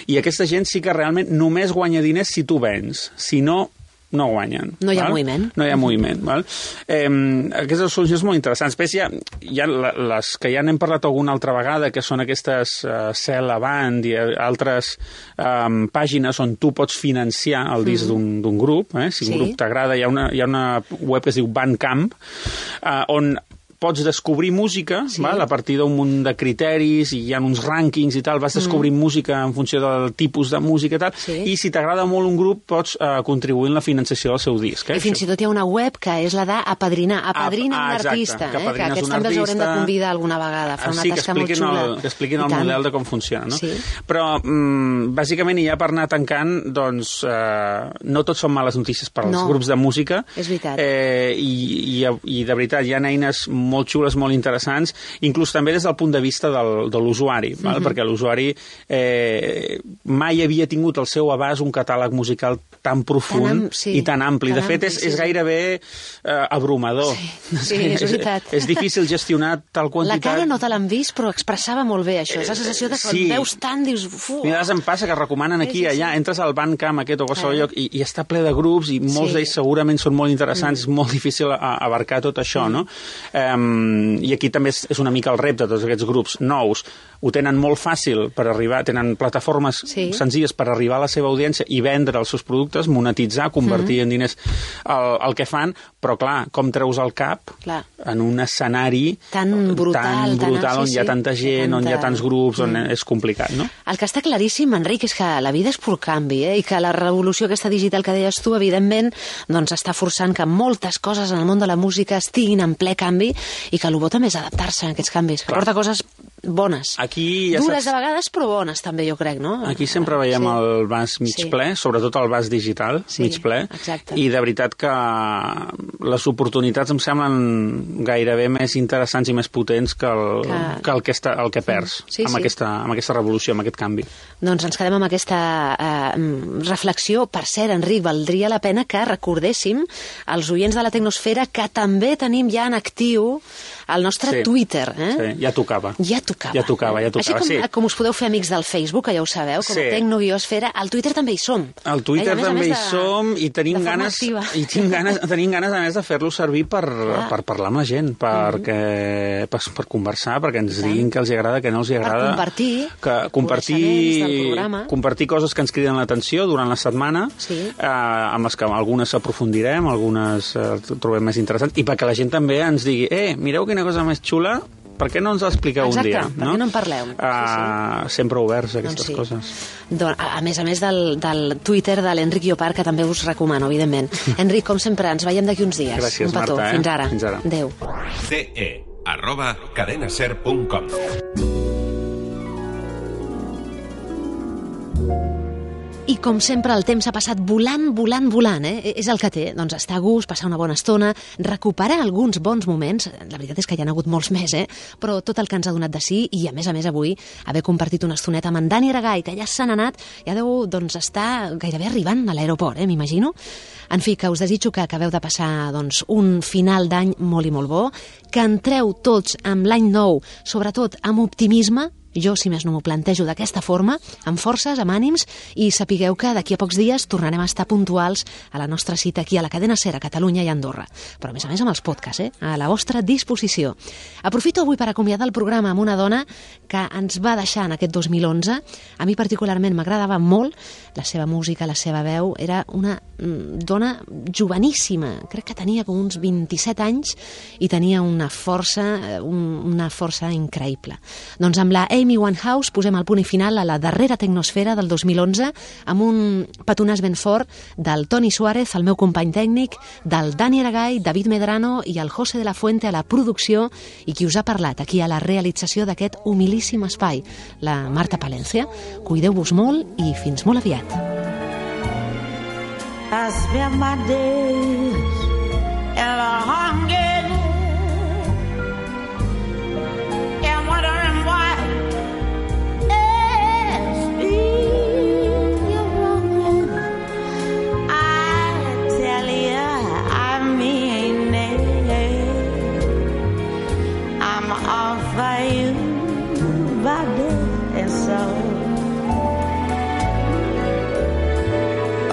I aquesta gent sí que realment només guanya diners si tu vens. Si no, no guanyen. No hi ha moviment. No hi ha moviment. Aquestes solucions molt interessants. Després hi ha les que ja n'hem parlat alguna altra vegada, que són aquestes Sell Avant i altres pàgines on tu pots financiar el disc d'un grup. Si un grup t'agrada, hi ha una web que es diu Bandcamp, on pots descobrir música a partir d'un munt de criteris i hi ha uns rànquings i tal, vas descobrint música en funció del tipus de música i tal, i si t'agrada molt un grup pots contribuir en la financiació del seu disc. I fins i tot hi ha una web que és la d'apadrinar. Apadrina un artista, que aquests també els haurem de convidar alguna vegada. Fa una tasca molt xula. Que expliquin el model de com funciona. Però, bàsicament, ja per anar tancant, doncs, no tot són males notícies per als grups de música. És veritat. I de veritat, hi ha eines molt xules, molt interessants, inclús també des del punt de vista de l'usuari, perquè l'usuari mai havia tingut al seu abast un catàleg musical tan profund i tan ampli. De fet, és gairebé abrumador. Sí, és veritat. És difícil gestionar tal quantitat. La cara no te l'han vist, però expressava molt bé això. És la sensació de quan veus tant, dius... A vegades em passa que recomanen aquí, allà, entres al Bandcamp aquest o qualsevol lloc i està ple de grups i molts d'ells segurament són molt interessants, és molt difícil abarcar tot això, no? I aquí també és una mica el repte de tots aquests grups nous. Ho tenen molt fàcil per arribar, tenen plataformes senzilles per arribar a la seva audiència i vendre els seus productes, monetitzar, convertir en diners el que fan, però clar, com treus el cap en un escenari tan brutal on hi ha tanta gent, on hi ha tants grups, on és complicat, no? El que està claríssim, Enric, és que la vida és pur canvi, i que la revolució aquesta digital que deies tu, evidentment, doncs està forçant que moltes coses en el món de la música estiguin en ple canvi i que el bo també és adaptar-se a aquests canvis, que porta coses bones. Aquí, dures de vegades, però bones també, jo crec, no? Aquí sempre veiem el vas mig ple, sobretot el vas digital, mig ple, i de veritat que les oportunitats em semblen gairebé més interessants i més potents que el que perds amb aquesta revolució, amb aquest canvi. Doncs ens quedem amb aquesta reflexió. Per cert, Enric, valdria la pena que recordéssim als oients de la Tecnosfera que també tenim ja en actiu el nostre Twitter. Sí, ja tocava. Ja tocava. Així com us podeu fer amics del Facebook, que ja ho sabeu, com a Tecno-Esfera, al Twitter també hi som. Al Twitter també hi som i tenim ganes, a més, de fer-lo servir per parlar amb la gent, per conversar, perquè ens diguin què els agrada, què no els agrada. Per compartir coses que ens criden l'atenció durant la setmana, amb les que algunes aprofundirem, algunes trobem més interessants, i perquè la gent també ens digui, mireu quina cosa més xula, per què no ens l'expliqueu un dia? Exacte, per què no en parleu? Sempre oberts a aquestes coses. A més del Twitter de l'Enric Llopart, que també us recomano, evidentment. Enric, com sempre, ens veiem d'aquí uns dies. Gràcies, un petó. Marta. Fins ara. Adéu. ce@cadenaser.com. I com sempre el temps ha passat volant, és el que té, doncs estar a gust, passar una bona estona, recuperar alguns bons moments, la veritat és que hi ha hagut molts més, però tot el que ens ha donat de sí, i a més avui haver compartit una estoneta amb en Dani Aragay, que ja se n'ha anat, ja deu estar gairebé arribant a l'aeroport, m'imagino. En fi, que us desitjo que acabeu de passar un final d'any molt i molt bo, que entreu tots amb l'any nou, sobretot amb optimisme. Jo, si més no m'ho plantejo d'aquesta forma, amb forces, amb ànims, i sapigueu que d'aquí a pocs dies tornarem a estar puntuals a la nostra cita aquí a la Cadena Ser, a Catalunya i Andorra. Però a més amb els podcasts, a la vostra disposició. Aprofito avui per acomiadar el programa amb una dona que ens va deixar en aquest 2011. A mi particularment m'agradava molt la seva música, la seva veu. Era una dona joveníssima, crec que tenia com uns 27 anys i tenia una força increïble. Doncs amb la Amy Winehouse posem el punt i final a la darrera Tecnosfera del 2011 amb un petonàs ben fort del Toni Suárez, el meu company tècnic, del Dani Aragay, David Medrano i el José de la Fuente a la producció, i qui us ha parlat aquí a la realització d'aquest humilíssim espai, la Marta Palencia. Cuideu-vos molt i fins molt aviat. I spend my days in a hunger and wondering why it's been wrong. I tell you, I mean it. I'm all for you, body and soul.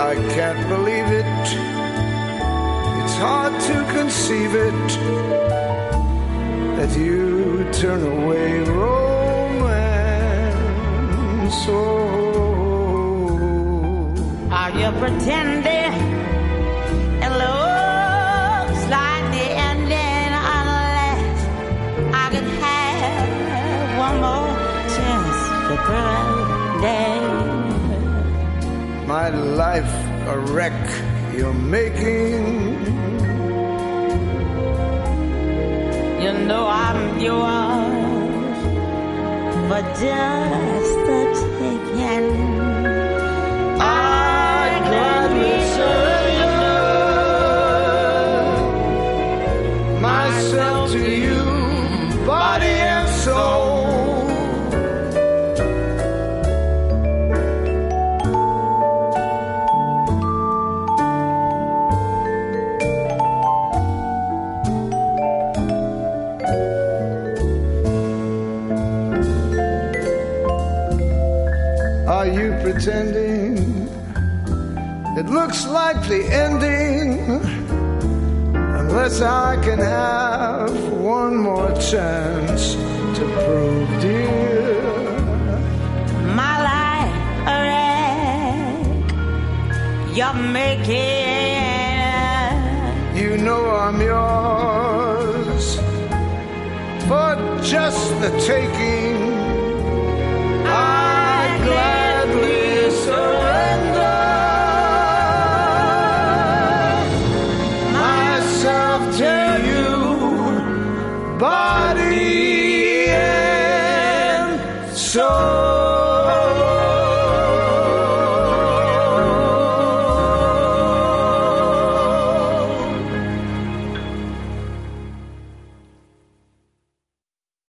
I can't believe it. It's hard to conceive it that you turn away romance. Are you pretending? It looks like the ending unless I could have one more chance to pretend. My life a wreck you're making. You know I'm yours for just the taking. I gladly surrender myself to you. It looks like the ending, unless I can have one more chance to prove, dear, my life a wreck. You're making, you know I'm yours for just the taking. I gladly surrender myself to you, body and soul.